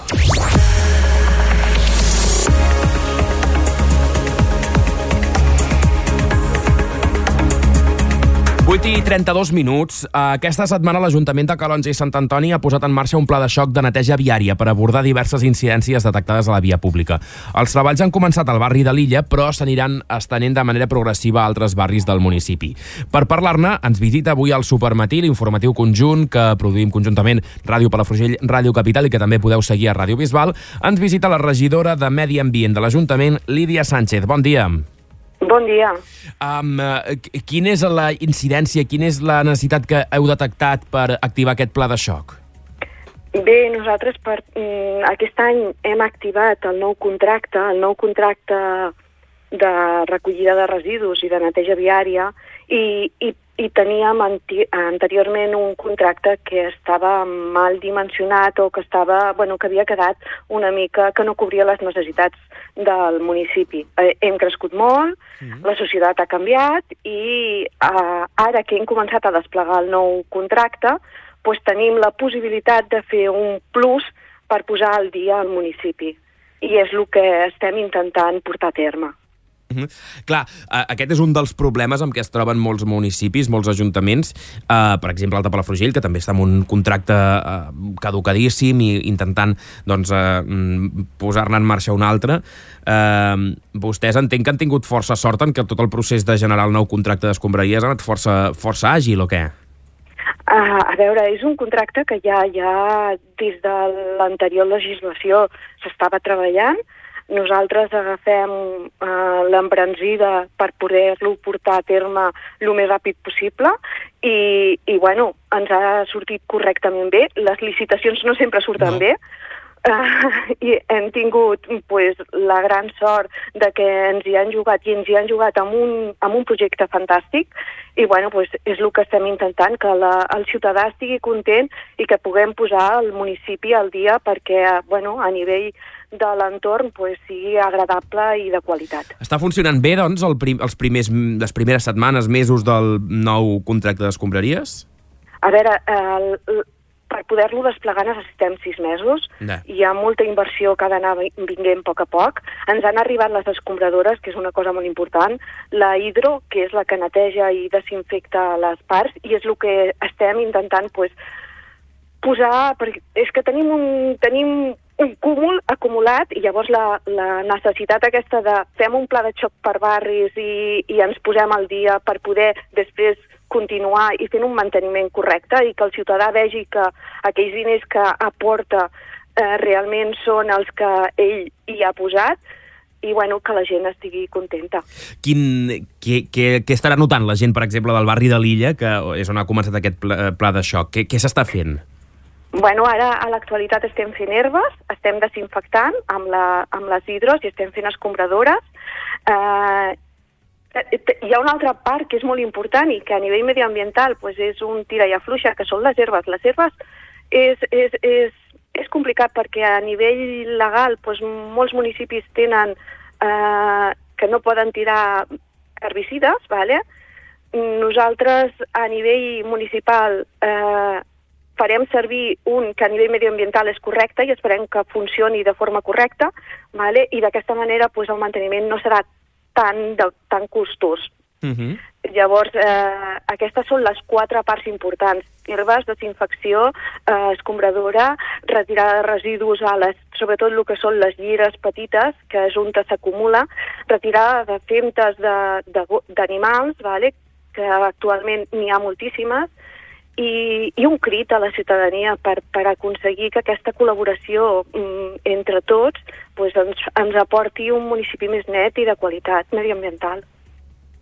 8:32. Aquesta setmana l'Ajuntament de Calonge i Sant Antoni ha posat en marxa un pla de xoc de neteja viària per abordar diverses incidències detectades a la via pública. Els treballs han començat al barri de l'Illa, però s'aniran estenent de manera progressiva a altres barris del municipi. Per parlar-ne, ens visita avui al Supermatí, l'informatiu conjunt que produïm conjuntament Ràdio Palafrugell, Ràdio Capital i que també podeu seguir a Ràdio Bisbal. Ens visita la regidora de Medi Ambient de l'Ajuntament, Lídia Sánchez. Bon dia. Bon dia. Quina és la incidència, quina és la necessitat que heu detectat per activar aquest pla de xoc? Bé, nosaltres aquest any hem activat el nou contracte de recollida de residus i de neteja viària i teníem anteriorment un contracte que estava mal dimensionat o que havia quedat una mica, que no cobria les necessitats del municipi. Hem crescut molt, la societat ha canviat i ara que hem començat a desplegar el nou contracte, doncs tenim la possibilitat de fer un plus per posar al dia al municipi. I és el que estem intentant portar a terme. Clar, aquest és un dels problemes amb què es troben molts municipis, molts ajuntaments, per exemple el de Palafrugell, que també està en un contracte caducadíssim i intentant posar-ne en marxa un altre. Vostès entenc que han tingut força sort en que tot el procés de generar el nou contracte d'escombraries ha anat força àgil, o què? A veure, és un contracte que ja des de l'anterior legislació s'estava treballant. nosaltres agafem l'embranzida per poder-lo portar a terme el més ràpid possible i bueno, ens ha sortit correctament bé. Les licitacions no sempre surten bé, i hem tingut pues, la gran sort de que ens hi han jugat amb un projecte fantàstic i bueno, pues, és el que estem intentant, que el ciutadà estigui content i que puguem posar el municipi al dia perquè bueno, a nivell de l'entorn pues, sigui agradable i de qualitat. Està funcionant bé, doncs, les primeres setmanes, mesos del nou contracte d'escombraries? A veure, per poder-lo desplegar necessitem 6 mesos. Hi ha molta inversió que ha d'anar vinguent a poc. Ens han arribat les escombradores, que és una cosa molt important, la hidro, que és la que neteja i desinfecta les parts, i és el que estem intentant pues, posar... Perquè és que tenim un cúmul acumulat i llavors la necessitat aquesta de fem un pla de xoc per barris i ens posem al dia per poder després continuar i fent un manteniment correcte i que el ciutadà vegi que aquells diners que aporta realment són els que ell hi ha posat i bueno, que la gent estigui contenta. Què estarà notant la gent, per exemple, del barri de l'Illa, que és on ha començat aquest pla de xoc? Què s'està fent? Bueno, ara a l'actualitat estem fent herbes, estem desinfectant amb les hidros i estem fent escombradores. Hi ha una altra part que és molt important i que a nivell mediambiental pues, és un tira i afluixa, que són les herbes. Les herbes és complicat perquè a nivell legal pues, molts municipis tenen que no poden tirar herbicides, ¿vale? Nosaltres a nivell municipal farem servir un que a nivell mediambiental és correcte i esperem que funcioni de forma correcta, ¿vale? I d'aquesta manera pues, el manteniment no serà tan costós. Llavors, aquestes són les 4 parts importants. Herbes, desinfecció, escombradora, retirada de residus sobretot el que són les llires petites, que és on s'acumula, retirada de femtes d'animals, ¿vale? Que actualment n'hi ha moltíssimes, i un crit a la ciutadania per aconseguir que aquesta col·laboració entre tots pues, ens aporti un municipi més net i de qualitat mediambiental.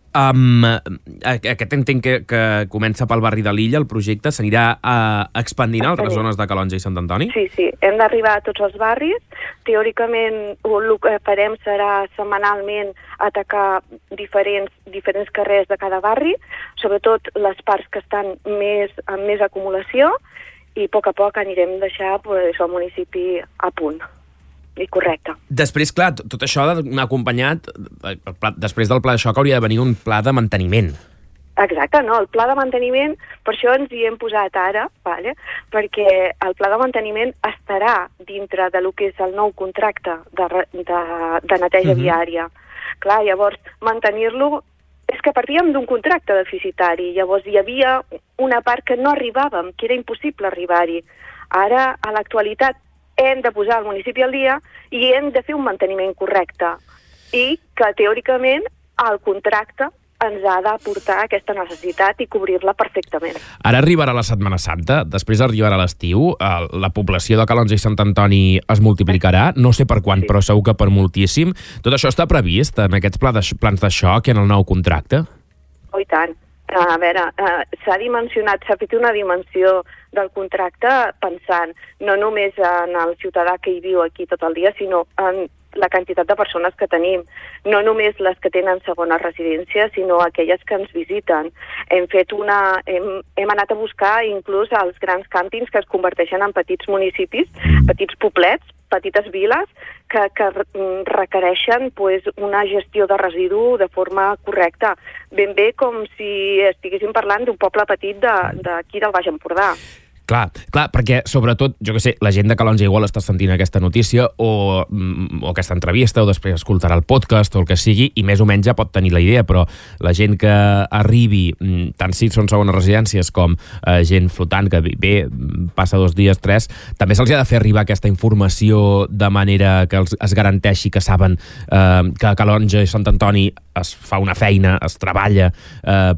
Aquest entenc que comença pel barri de l'Illa, el projecte s'anirà expandint a altres zones de Calonge i Sant Antoni? Sí, hem d'arribar a tots els barris. Teòricament el que farem serà setmanalment atacar diferents carrers de cada barri, sobretot les parts que estan amb més acumulació, i a poc anirem deixar pues, el municipi a punt. I correcte. Després, clar, tot això ha d'anar acompanyat, després del pla de xoc hauria de venir un pla de manteniment. Exacte, no, el pla de manteniment, per això ens hi hem posat ara, ¿vale? Perquè el pla de manteniment estarà dintre de lo que és el nou contracte de neteja viària. Clar, llavors, mantenir-lo és que partíem d'un contracte deficitari, llavors hi havia una part que no arribàvem, que era impossible arribar-hi. Ara, a l'actualitat, hem de posar el municipi al dia i hem de fer un manteniment correcte i que teòricament el contracte ens ha d'aportar aquesta necessitat i cobrir-la perfectament. Ara arribarà la Setmana Santa, després arribarà l'estiu, la població de Calonge i Sant Antoni es multiplicarà, no sé per quant, però segur que per moltíssim. Tot això està previst en aquests plans de xoc i en el nou contracte? Oh, i tant. A veure, s'ha fet una dimensió del contracte pensant no només en el ciutadà que hi viu aquí tot el dia, sinó en la quantitat de persones que tenim, no només les que tenen segona residència, sinó aquelles que ens visiten. Hem anat a buscar inclús els grans càmpings que es converteixen en petits municipis, petits poblets, petites viles, que requereixen pues, una gestió de residu de forma correcta, ben bé com si estiguéssim parlant d'un poble petit d'aquí del Baix Empordà. Clar, perquè sobretot, jo que sé, la gent de Calonge igual està sentint aquesta notícia o aquesta entrevista o després escoltarà el podcast o el que sigui i més o menys ja pot tenir la idea, però la gent que arribi, tant si són segones residències com gent flotant que ve, passa 2 dies, 3, també se'ls ha de fer arribar aquesta informació de manera que es garanteixi que saben que a Calonge i Sant Antoni es fa una feina, es treballa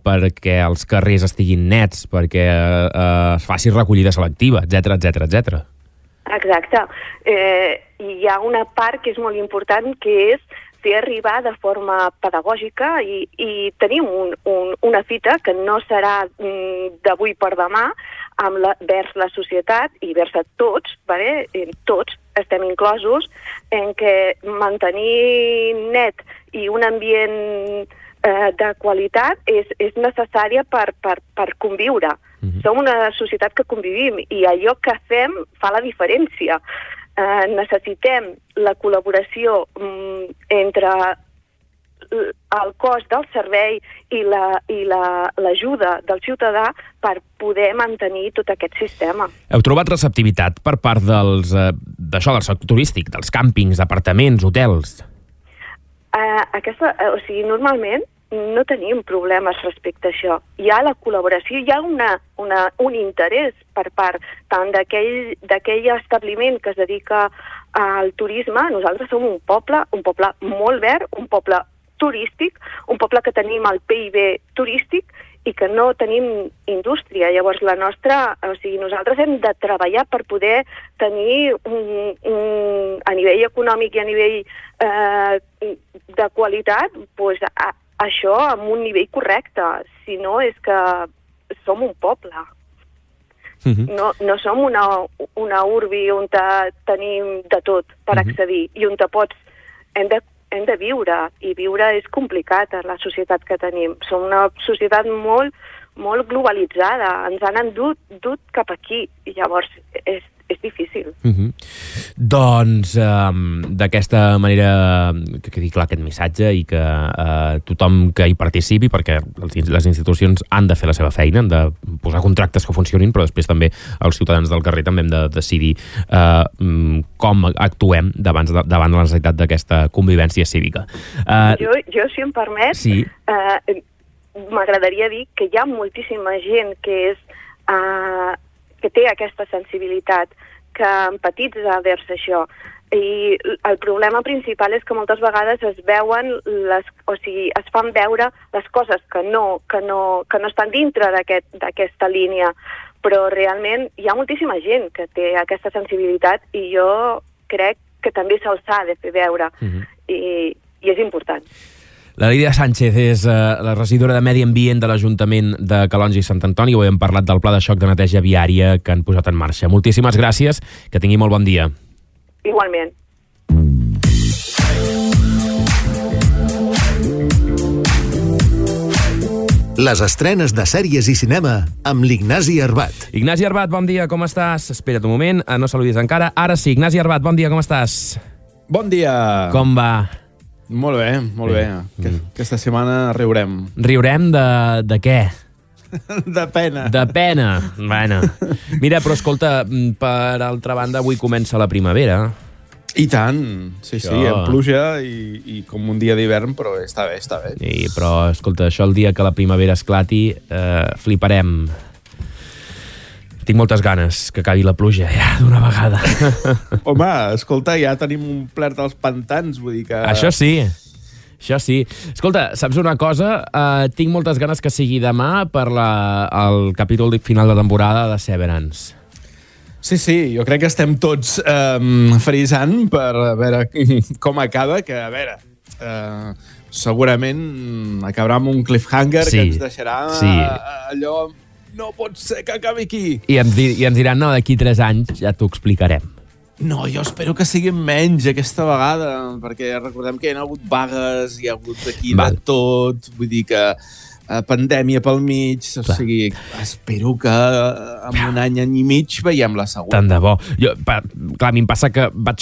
perquè els carrers estiguin nets, perquè es faci recollida selectiva, etc. Exacte. I hi ha una part que és molt important, que és fer arribar de forma pedagògica i tenim una fita que no serà d'avui per demà vers la societat i vers a tots, vale? Tots estem inclosos, en què mantenir net i un ambient de qualitat és necessària per conviure. Som una societat que convivim i allò que fem fa la diferència. Necessitem la col·laboració entre el cost del servei i l'ajuda del ciutadà per poder mantenir tot aquest sistema. Heu trobat receptivitat per part del sector turístic, dels càmpings, apartaments, hotels? Normalment no tenim problemes respecte a això. Hi ha la col·laboració, hi ha un interès per part tant d'aquell establiment que es dedica al turisme. Nosaltres som un poble molt verd, un poble turístic, un poble que tenim el PIB turístic i que no tenim indústria. Llavors, nosaltres hem de treballar per poder tenir a nivell econòmic i a nivell de qualitat, això amb un nivell correcte. Si no, és que som un poble. No som una urbi on tenim de tot per accedir i on hem de viure, i viure és complicat en la societat que tenim. Som una societat molt, molt globalitzada, ens han dut cap aquí, i llavors és difícil. Doncs d'aquesta manera que quedi clar aquest missatge i que tothom que hi participi, perquè les institucions han de fer la seva feina, han de posar contractes que funcionin, però després també els ciutadans del carrer també hem de decidir com actuem davant la necessitat d'aquesta convivència cívica. Jo, si em permet, sí. M'agradaria dir que hi ha moltíssima gent que té aquesta sensibilitat, que empatitza vers això. I el problema principal és que moltes vegades es fan veure les coses que no estan dintre d'aquesta línia, però realment hi ha moltíssima gent que té aquesta sensibilitat i jo crec que també se'ls ha de fer veure, i és important. La Lídia Sánchez és la regidora de Medi Ambient de l'Ajuntament de Calonge i Sant Antoni. Avui hem parlat del pla de xoc de neteja viària que han posat en marxa. Moltíssimes gràcies, que tingui molt bon dia. Igualment. Les estrenes de sèries i cinema amb l'Ignasi Arbat. Ignasi Arbat, bon dia, com estàs? Espera't un moment, no saludis encara. Ara sí, Ignasi Arbat, bon dia, com estàs? Bon dia. Com va? Molt bé, molt bé. Aquesta setmana riurem. Riurem de què? De pena. De pena. Bueno. Mira, però escolta, per altra banda, avui comença la primavera. I tant, sí, amb pluja i com un dia d'hivern, però està bé. Però, escolta, això el dia que la primavera esclati, fliparem. Tinc moltes ganes que acabi la pluja, ja, d'una vegada. Home, escolta, ja tenim omplert els pantans, vull dir que... Això sí. Escolta, saps una cosa? Tinc moltes ganes que sigui demà per el capítol final de temporada de Severance. Sí, jo crec que estem tots frisant per veure com acaba, que, a veure... segurament acabarà amb un cliffhanger que ens deixarà allò... No pot ser que acabi aquí. I ens diran, no, d'aquí 3 anys ja t'ho explicarem. No, jo espero que siguin menys aquesta vegada, perquè recordem que hi ha hagut vagues, hi ha hagut aquí de tot, vull dir que pandèmia pel mig, o sigui, espero que en un any i mig veiem la següent. Tant de bo. Clar, a mi em passa que la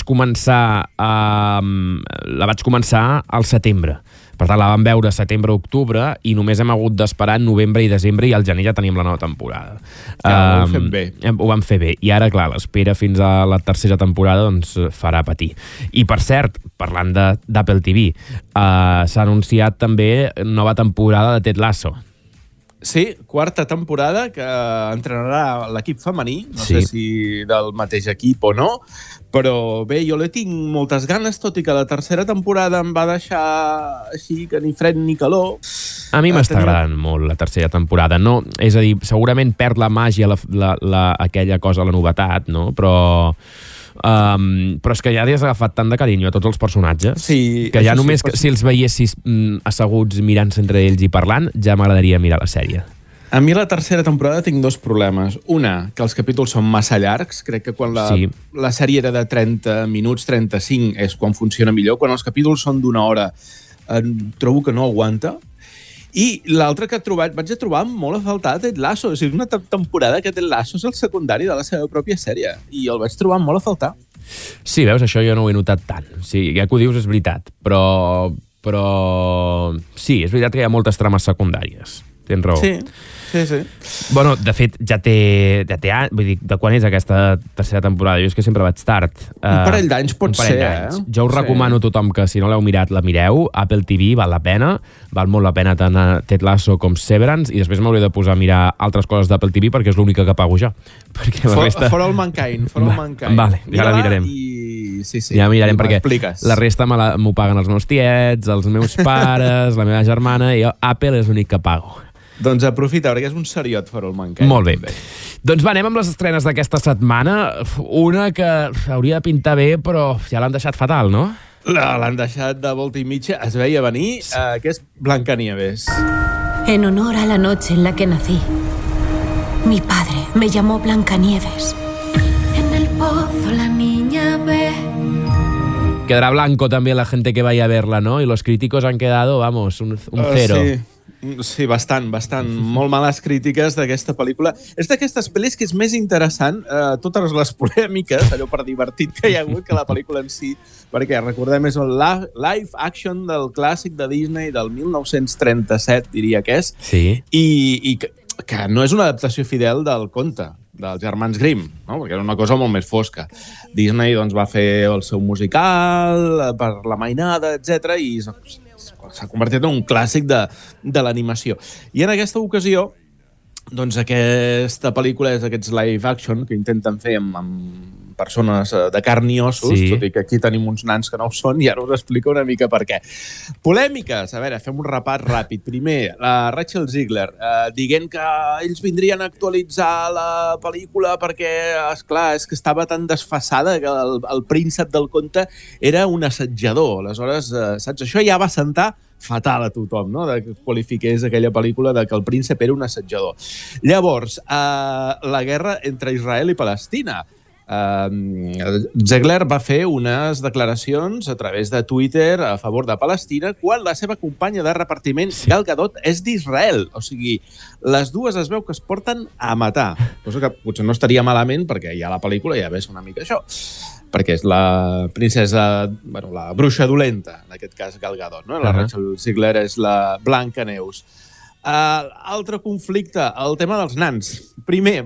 vaig començar al setembre. Per tant, la vam veure setembre-octubre i només hem hagut d'esperar en novembre i desembre i al gener ja teníem la nova temporada. Ho vam fer bé. Ho vam fer bé. I ara, clar, l'espera fins a la tercera temporada doncs farà patir. I, per cert, parlant d'Apple TV, s'ha anunciat també nova temporada de Ted Lasso. Sí, 4ª temporada que entrenarà l'equip femení, no sé si del mateix equip o no, però bé, jo li tinc moltes ganes, tot i que la tercera temporada em va deixar així que ni fred ni calor. A mi m'està agradant molt la tercera temporada, no? És a dir, segurament perd la màgia, aquella cosa, la novetat, no? Però Però és que ja has agafat tant de carinyo a tots els personatges que ja només si els veiessis asseguts mirant-se entre ells i parlant, ja m'agradaria mirar la sèrie. A mi la tercera temporada tinc dos problemes. Una, que els capítols són massa llargs. Crec que quan la sèrie era de 30 minuts, 35, és quan funciona millor. Quan els capítols són d'una hora, trobo que no aguanta. I l'altre que vaig trobar molt a faltar Ted Lasso. És una temporada que Ted Lasso és el secundari de la seva pròpia sèrie. I el vaig trobar molt a faltar. Sí, veus, això jo no ho he notat tant. Sí, ja que ho dius és veritat. Però sí, és veritat que hi ha moltes trames secundàries. Tens raó. Sí. Bueno, de fet, ja té vull dir, de quan és aquesta tercera temporada? Jo és que sempre vaig tard. Un parell d'anys pot ser, Jo us recomano a tothom que, si no l'heu mirat, la mireu. Apple TV val la pena. Val molt la pena tant a Ted Lasso com Severance, i després m'hauré de posar a mirar altres coses d'Apple TV perquè és l'única que pago ja. For All Mankind. Vale, ja la mirarem. Sí. Ja mirarem perquè la resta m'ho paguen els meus tiets, els meus pares, la meva germana, i jo, Apple és l'únic que pago. Doncs aprofita, perquè és un seriot For All Mankind. Molt bé. Doncs va, anem amb les estrenes d'aquesta setmana. Una que hauria de pintar bé, però ja l'han deixat fatal, no? L'han deixat de volta i mitja. Es veia venir, que és Blancanieves. En honor a la noche en la que nací, mi padre me llamó Blancanieves. En el pozo la niña ve. Quedará blanco también la gente que vaya a verla, ¿no? Y los críticos han quedado, vamos, un cero. Sí, bastant. Molt males crítiques d'aquesta pel·lícula. És d'aquestes pel·lis que és més interessant totes les polèmiques, allò per divertit que hi ha hagut, que la pel·lícula en si, perquè recordem, és el live action del clàssic de Disney del 1937, diria que és, i que no és una adaptació fidel del conte dels germans Grimm, no? Perquè era una cosa molt més fosca. Disney doncs, va fer el seu musical per la mainada, etc i s'ha convertit en un clàssic de l'animació. I en aquesta ocasió, doncs aquesta pel·lícula és aquests live action que intenten fer amb persones de carn i ossos, tot i que aquí tenim uns nans que no ho són, i ara us explico una mica per què. Polèmiques, a veure, fem un repàs ràpid. Primer, la Rachel Ziegler dient que ells vindrien a actualitzar la pel·lícula perquè, esclar, és que estava tan desfasada que el príncep del conte era un assetjador. Aleshores, saps, això ja va sentar fatal a tothom, no?, que qualifiqués aquella pel·lícula de que el príncep era un assetjador. Llavors, la guerra entre Israel i Palestina. Ziegler va fer unes declaracions a través de Twitter a favor de Palestina quan la seva companya de repartiment, Gal Gadot, és d'Israel. O sigui, les dues es veu que es porten a matar. Cosa que potser no estaria malament perquè ja la pel·lícula ja ves una mica això. Perquè és la princesa, bueno, la bruixa dolenta, en aquest cas Gal Gadot, no? La Rachel Ziegler és la Blancaneus. Altre conflicte, el tema dels nans. Primer,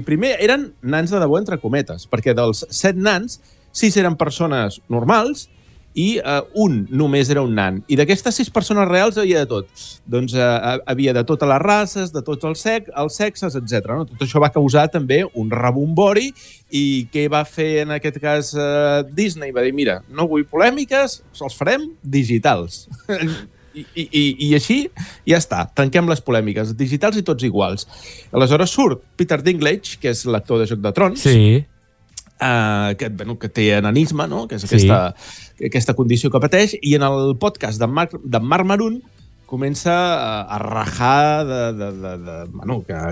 primer eren nans de debò, entre cometes, perquè dels 7 nans, 6 eren persones normals i un només era un nan. I d'aquestes 6 persones reals havia de tot. Doncs havia de totes les races, de tots els sexes, etc. No? Tot això va causar també un rebombori i què va fer en aquest cas Disney? Va dir, mira, no vull polèmiques, els farem digitals. I així ja està, tanquem les polèmiques digitals i tots iguals. Aleshores surt Peter Dinklage, que és l'actor de Joc de Trons, que té enanisme, no? Que és aquesta condició que pateix, i en el podcast de Marc Maron comença a rajar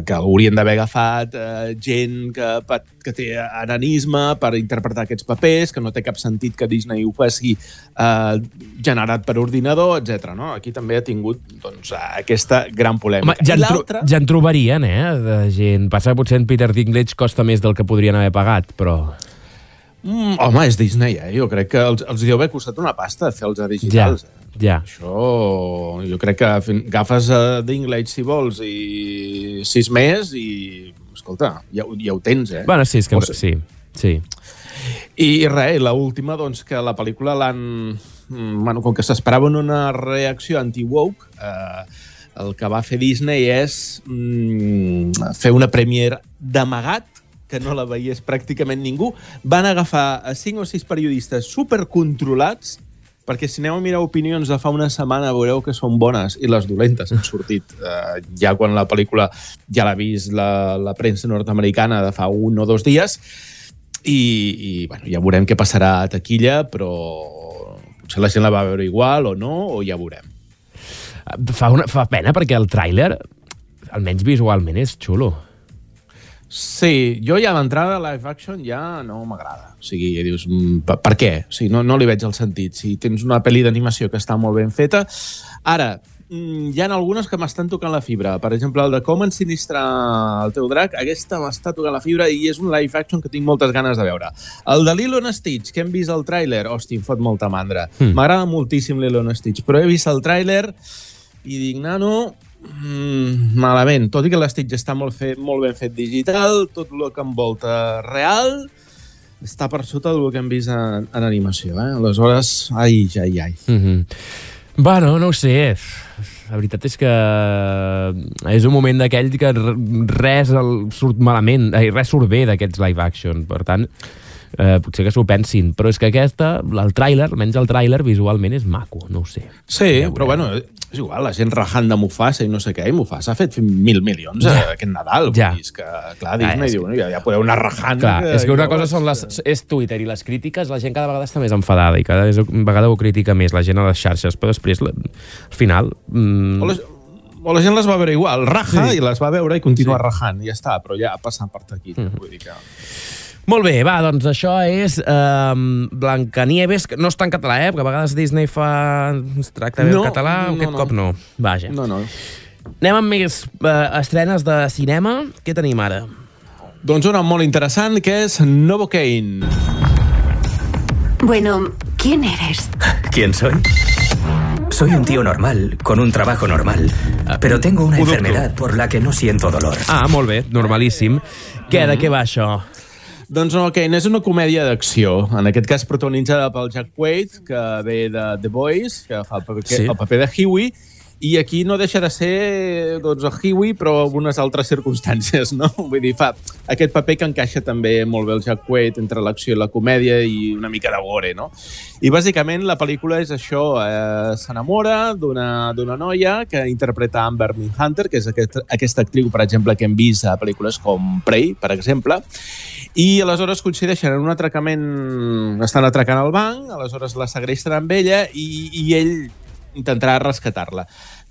que haurien d'haver agafat gent que té enanisme per interpretar aquests papers, que no té cap sentit que Disney ho faci generat per ordinador, etc. No? Aquí també ha tingut aquesta gran polèmica. Home, ja en trobarien, de gent. Passa que potser en Peter Dinklage costa més del que podrien haver pagat, però... Home, és Disney, Jo crec que els deu haver costat una pasta fer els digitals. Ja. Això, jo crec que agafes Dinklage, si vols, i 6 més i, escolta, ja ho tens, Bueno, sí, és que sí. I res, l'última, doncs, que la pel·lícula l'han... Bueno, com que s'esperaven una reacció anti-woke, el que va fer Disney és fer una premiere d'amagat, que no la veiés pràcticament ningú. Van agafar 5 o 6 periodistes supercontrolats, perquè si aneu a mirar opinions de fa una setmana veureu que són bones i les dolentes han sortit ja quan la pel·lícula ja l'ha vist la premsa nord-americana de fa 1 o 2 dies. i bueno, ja veurem què passarà a taquilla, però potser la gent la va veure igual o no, o ja veurem. Fa pena perquè el tràiler, almenys visualment, és xulo. Sí, jo ja d'entrada live action ja no m'agrada. O sigui, dius, per què? O sigui, no li veig el sentit. Si tens una pel·li d'animació que està molt ben feta... Ara, hi ha algunes que m'estan tocant la fibra. Per exemple, el de Com ensinistrar el teu drac, aquesta m'està tocant la fibra i és un live action que tinc moltes ganes de veure. El de Lilo & Stitch, que hem vist el tràiler, hòstia, em fot molta mandra. M'agrada moltíssim Lilo & Stitch, però he vist el tràiler i dic, nano... malament, tot i que l'Stitch està molt ben fet digital, tot el que envolta real està per sota del que hem vist en animació, aleshores, ai. Bueno, no ho sé, la veritat és que és un moment d'aquell que res surt malament, res surt bé d'aquests live action, per tant potser que s'ho pensin, però és que aquesta, el tràiler, almenys el tràiler visualment és maco, no ho sé. Sí, però bueno, és igual, la gent rajant de Mufasa i no sé què, i Mufasa ha fet 1.000 milions aquest Nadal, vull dir, és que, clar, Disney diu, ja podeu anar rajant. Clar, és que una cosa és Twitter i les crítiques, la gent cada vegada està més enfadada i cada vegada ho critica més la gent a les xarxes, però després, al final... O la gent les va veure igual, raja i les va veure i continua rajant, i ja està, però ja passant per aquí, vull dir que... Molt bé, va, doncs això és Blancanieves, que no està en català, perquè a vegades Disney es tracta bé el català, aquest cop no. Vaja. No. Anem amb més estrenes de cinema. Què tenim ara? Doncs una molt interessant, que és Novocaine. Bueno, ¿quién eres? ¿Quién soy? Soy un tío normal, con un trabajo normal, pero tengo una enfermedad por la que no siento dolor. Ah, molt bé, normalíssim. De què va això? Doncs Novocaine és una comèdia d'acció, en aquest cas protagonitzada pel Jack Quaid, que ve de The Boys, que fa el paper de Huey, i aquí no deixa de ser doncs, el Huey, però en unes altres circumstàncies, no? Vull dir, fa aquest paper que encaixa també molt bé el Jack Quaid entre l'acció i la comèdia i una mica de gore, no? I bàsicament la pel·lícula és això, s'enamora d'una noia que interpreta Amber Midhunter, que és aquesta actriu, per exemple, que hem vist a pel·lícules com Prey, per exemple, i aleshores coincideixen en un atracament, estan atracant el banc, aleshores la segresten amb ella i ell intentarà rescatar-la,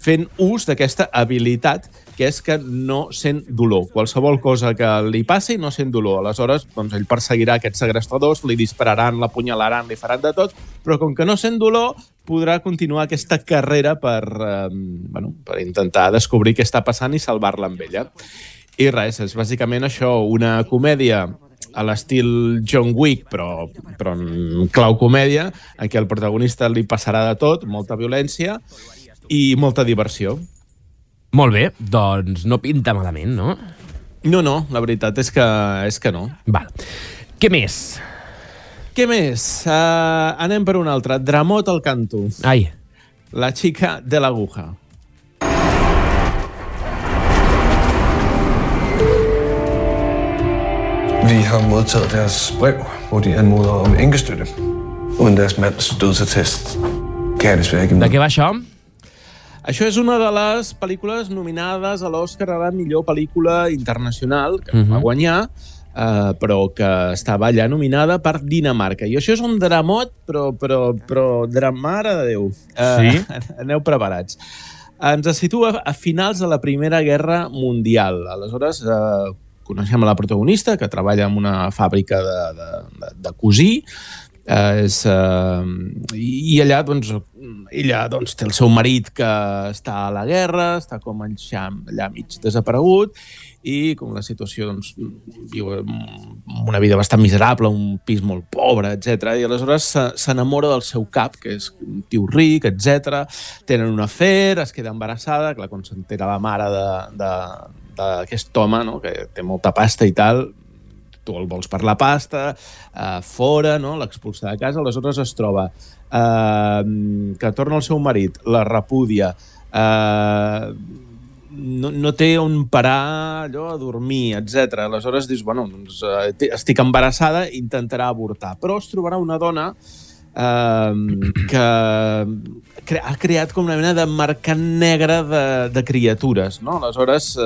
fent ús d'aquesta habilitat que és que no sent dolor. Qualsevol cosa que li passi no sent dolor. Aleshores, doncs, ell perseguirà aquests segrestadors, li dispararan, l'apunyalaran, li faran de tot, però com que no sent dolor, podrà continuar aquesta carrera per intentar descobrir què està passant i salvar-la amb ella. I res, és bàsicament això, una comèdia a l'estil John Wick, però en clau comèdia, en què el protagonista li passarà de tot, molta violència i molta diversió. Molt bé, doncs no pinta malament, no? No, la veritat és que no. Val. Què més? Què més? Anem per un altre. Dramot al canto. Ai. La chica de l'aguja. Vi har modtaget deres brev, hvor de anmoder om enkestøtte. Uden deres mands dødsattest kan jeg desværre ikke med. De què va això? Això és una de les pel·lícules nominades a l'Oscar a la millor pel·lícula internacional, que va guanyar, però que estava allà nominada per Dinamarca. I això és un dramot, però mare de Déu. Sí? Aneu preparats. Ens situa a finals de la Primera Guerra Mundial. Aleshores, coneixem la protagonista, que treballa en una fàbrica de cosir, i allà ella té el seu marit que està a la guerra, està com allà mig desaparegut, i com la situació viu una vida bastant miserable, un pis molt pobre, etc. I aleshores s'enamora del seu cap, que és un tio ric, etc. Tenen un afer, es queda embarassada, clar, quan s'entera la mare d'aquest home, no?, que té molta pasta i tal, tu el vols per la pasta, fora, no?, l'expulsa de casa, aleshores es troba que torna el seu marit, la repudia, no té on parar allò a dormir, etc. Aleshores dius, bueno, estic embarassada, intentarà avortar, però es trobarà una dona que ha creat com una mena de mercat negre de criatures, no? Aleshores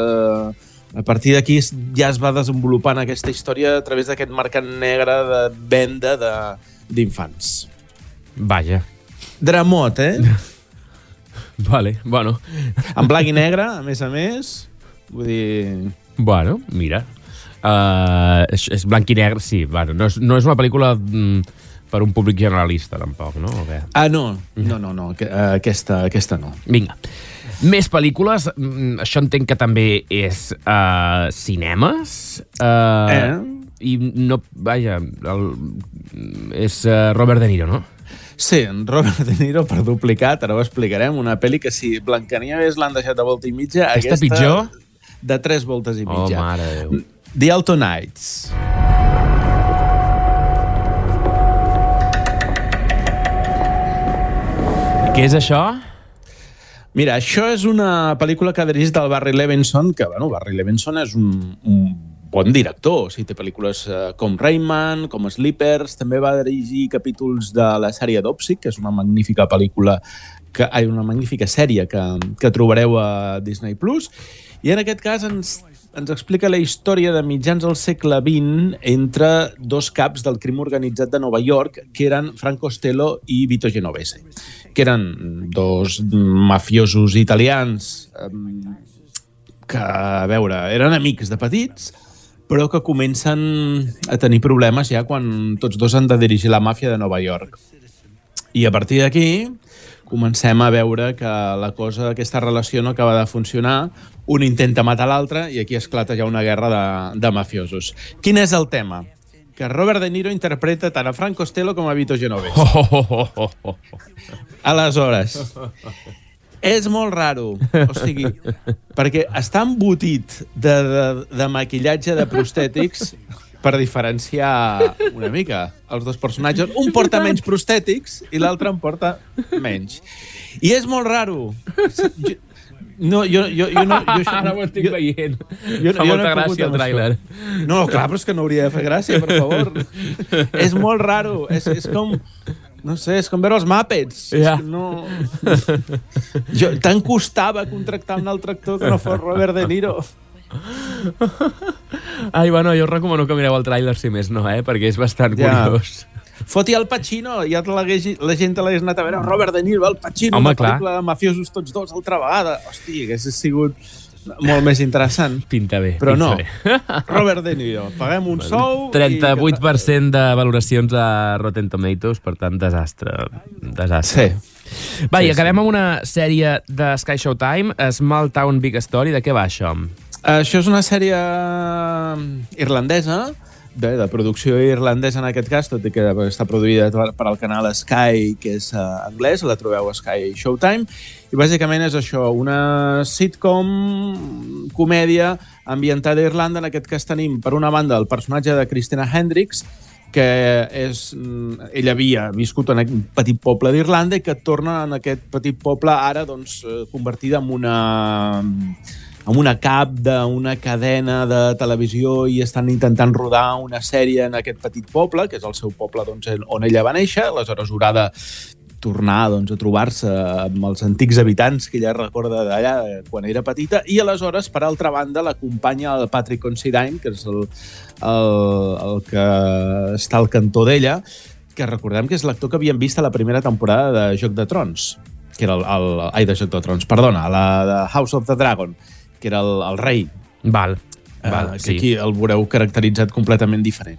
A partir d'aquí ja es va desenvolupant aquesta història a través d'aquest mercat negre de venda d'infants. Vaja. Dramot, Vale, bueno. En blanc i negre, a més. Vull dir... Bueno, mira. És blanc i negre, sí. Bueno, no és una pel·lícula per un públic generalista, tampoc, no? No. Aquesta no. Vinga. Més pel·lícules. Això entenc que també és cinemes. I no... Vaja, és Robert De Niro, no? Sí, Robert De Niro per duplicat, ara ho explicarem, una pel·li que si Blancanieves l'han deixat de volta i mitja, aquesta pitjor? De 3 voltes i mitja. Oh, mare de Déu. The Altonites. Què és això? Mira, això és una pel·lícula que ha dirigit el Barry Levinson, que, Barry Levinson és un bon director. O sigui, té pel·lícules com Rayman, com Sleepers, també va dirigir capítols de la sèrie Dopsic, que és una magnífica una magnífica sèrie que trobareu a Disney+. I en aquest cas ens explica la història de mitjans del segle XX entre dos caps del crim organitzat de Nova York, que eren Frank Costello i Vito Genovese, que eren dos mafiosos italians que, a veure, eren amics de petits, però que comencen a tenir problemes ja quan tots dos han de dirigir la màfia de Nova York. I a partir d'aquí comencem a veure que aquesta relació no acaba de funcionar, un intenta matar l'altre i aquí esclata ja una guerra de mafiosos. Quin és el tema? Que Robert De Niro interpreta tant a Frank Costello com a Vito Genovese. Aleshores, és molt raro, o sigui, perquè està embotit de maquillatge de prostètics per diferenciar una mica els dos personatges. Un porta menys prostètics i l'altre en porta menys. I és molt raro. Ara ho estic veient. Fa molta gràcia el tràiler. No, clar, però és que no hauria de fer gràcia, per favor. És molt raro. És com... No sé, és com veure els Muppets. Ja. Tant costava contractar un altre actor que no fos Robert De Niro. Ai, bueno, jo us recomano que mireu el tràiler, si més no, perquè és bastant curiós. Foti el Pacino, ja la gent l'hagués anat a veure. Robert De Niro, el Pacino, una pel·lícula de mafiosos tots dos altra vegada. Hòstia, hagués sigut molt més interessant. Pinta bé. Però no, Robert De Niro, paguem un sou... 38% de valoracions a Rotten Tomatoes, per tant, desastre. Sí. Va, i acabem amb una sèrie de Sky Showtime, Small Town Big Story. De què va això? Això és una sèrie irlandesa, de producció irlandesa en aquest cas, tot i que està produïda per al canal Sky, que és anglès, la trobeu a Sky Showtime, i bàsicament és això, una sitcom, comèdia ambientada a Irlanda. En aquest cas tenim, per una banda, el personatge de Christina Hendricks, que ella havia viscut en un petit poble d'Irlanda i que torna en aquest petit poble ara convertida en una cap d'una cadena de televisió i estan intentant rodar una sèrie en aquest petit poble, que és el seu poble on ella va néixer. Aleshores haurà de tornar a trobar-se amb els antics habitants que ella recorda d'allà quan era petita, i aleshores, per altra banda, l'acompanya el Patrick Considine, que és el que està al cantó d'ella, que recordem que és l'actor que havíem vist a la primera temporada de Joc de Trons, que era de Joc de Trons, perdona, la de House of the Dragon, que era el rei. Val, que sí. Aquí el veureu caracteritzat completament diferent,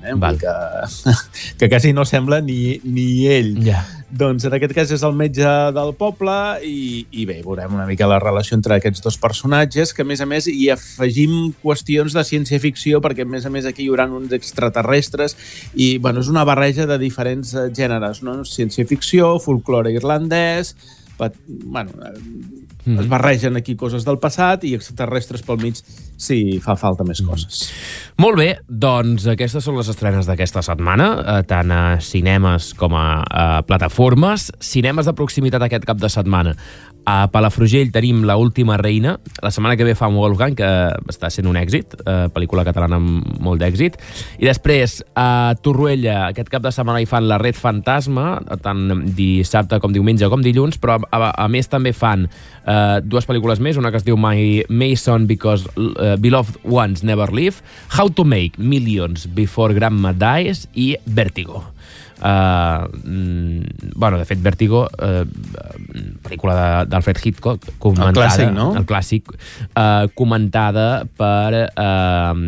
que quasi no sembla ni ell. Ja. Doncs en aquest cas és el metge del poble i bé, veurem una mica la relació entre aquests dos personatges, que a més hi afegim qüestions de ciència-ficció, perquè a més aquí hi haurà uns extraterrestres i és una barreja de diferents gèneres, no? Ciència-ficció, folklore irlandès, es barregen aquí coses del passat i extraterrestres pel mig si fa falta més coses. Molt bé, doncs aquestes són les estrenes d'aquesta setmana, tant a cinemes com a plataformes. Cinemes de proximitat aquest cap de setmana. A Palafrugell tenim La última reina. La setmana que ve fa Wolfgang, que està sent un èxit, pel·lícula catalana amb molt d'èxit. I després, a Torroella, aquest cap de setmana hi fan La red fantasma, tant dissabte com diumenge com dilluns, però a més també fan dues pel·lícules més, una que es diu My Mason Because Beloved Ones Never Leave, How to Make Millions Before Grandma Dies i Vertigo. De fet, Vertigo, pel·lícula d'Alfred Hitchcock, comentada, el clàssic, no? El clàssic, comentada per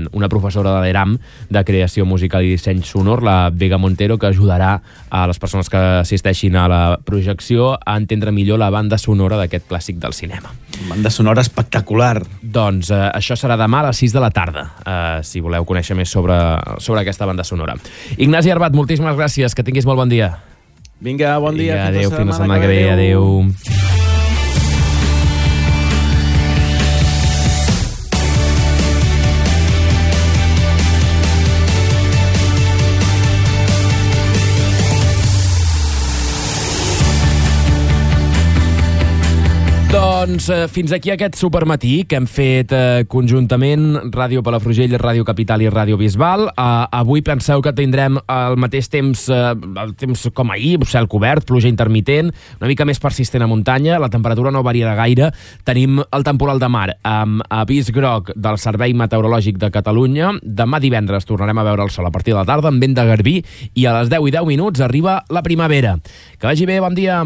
una professora de l'ERAM de creació musical i disseny sonor, la Vega Montero, que ajudarà a les persones que assisteixin a la projecció a entendre millor la banda sonora d'aquest clàssic del cinema. Banda sonora espectacular. Doncs això serà demà a les 6 de la tarda, si voleu conèixer més sobre aquesta banda sonora. Ignasi Arbat, moltíssimes gràcies, que tinguis molt bon dia. Vinga, bon dia. Adéu, fins la setmana que ve. Adéu. Doncs fins aquí aquest supermatí que hem fet conjuntament Ràdio Palafrugell, Ràdio Capital i Ràdio Bisbal. Avui penseu que tindrem el mateix temps, el temps com ahir, cel cobert, pluja intermitent, una mica més persistent a muntanya, la temperatura no variarà gaire. Tenim el temporal de mar amb avís groc del Servei Meteorològic de Catalunya. Demà divendres tornarem a veure el sol a partir de la tarda amb vent de garbí i a les 10:10 arriba la primavera. Que vagi bé, bon dia!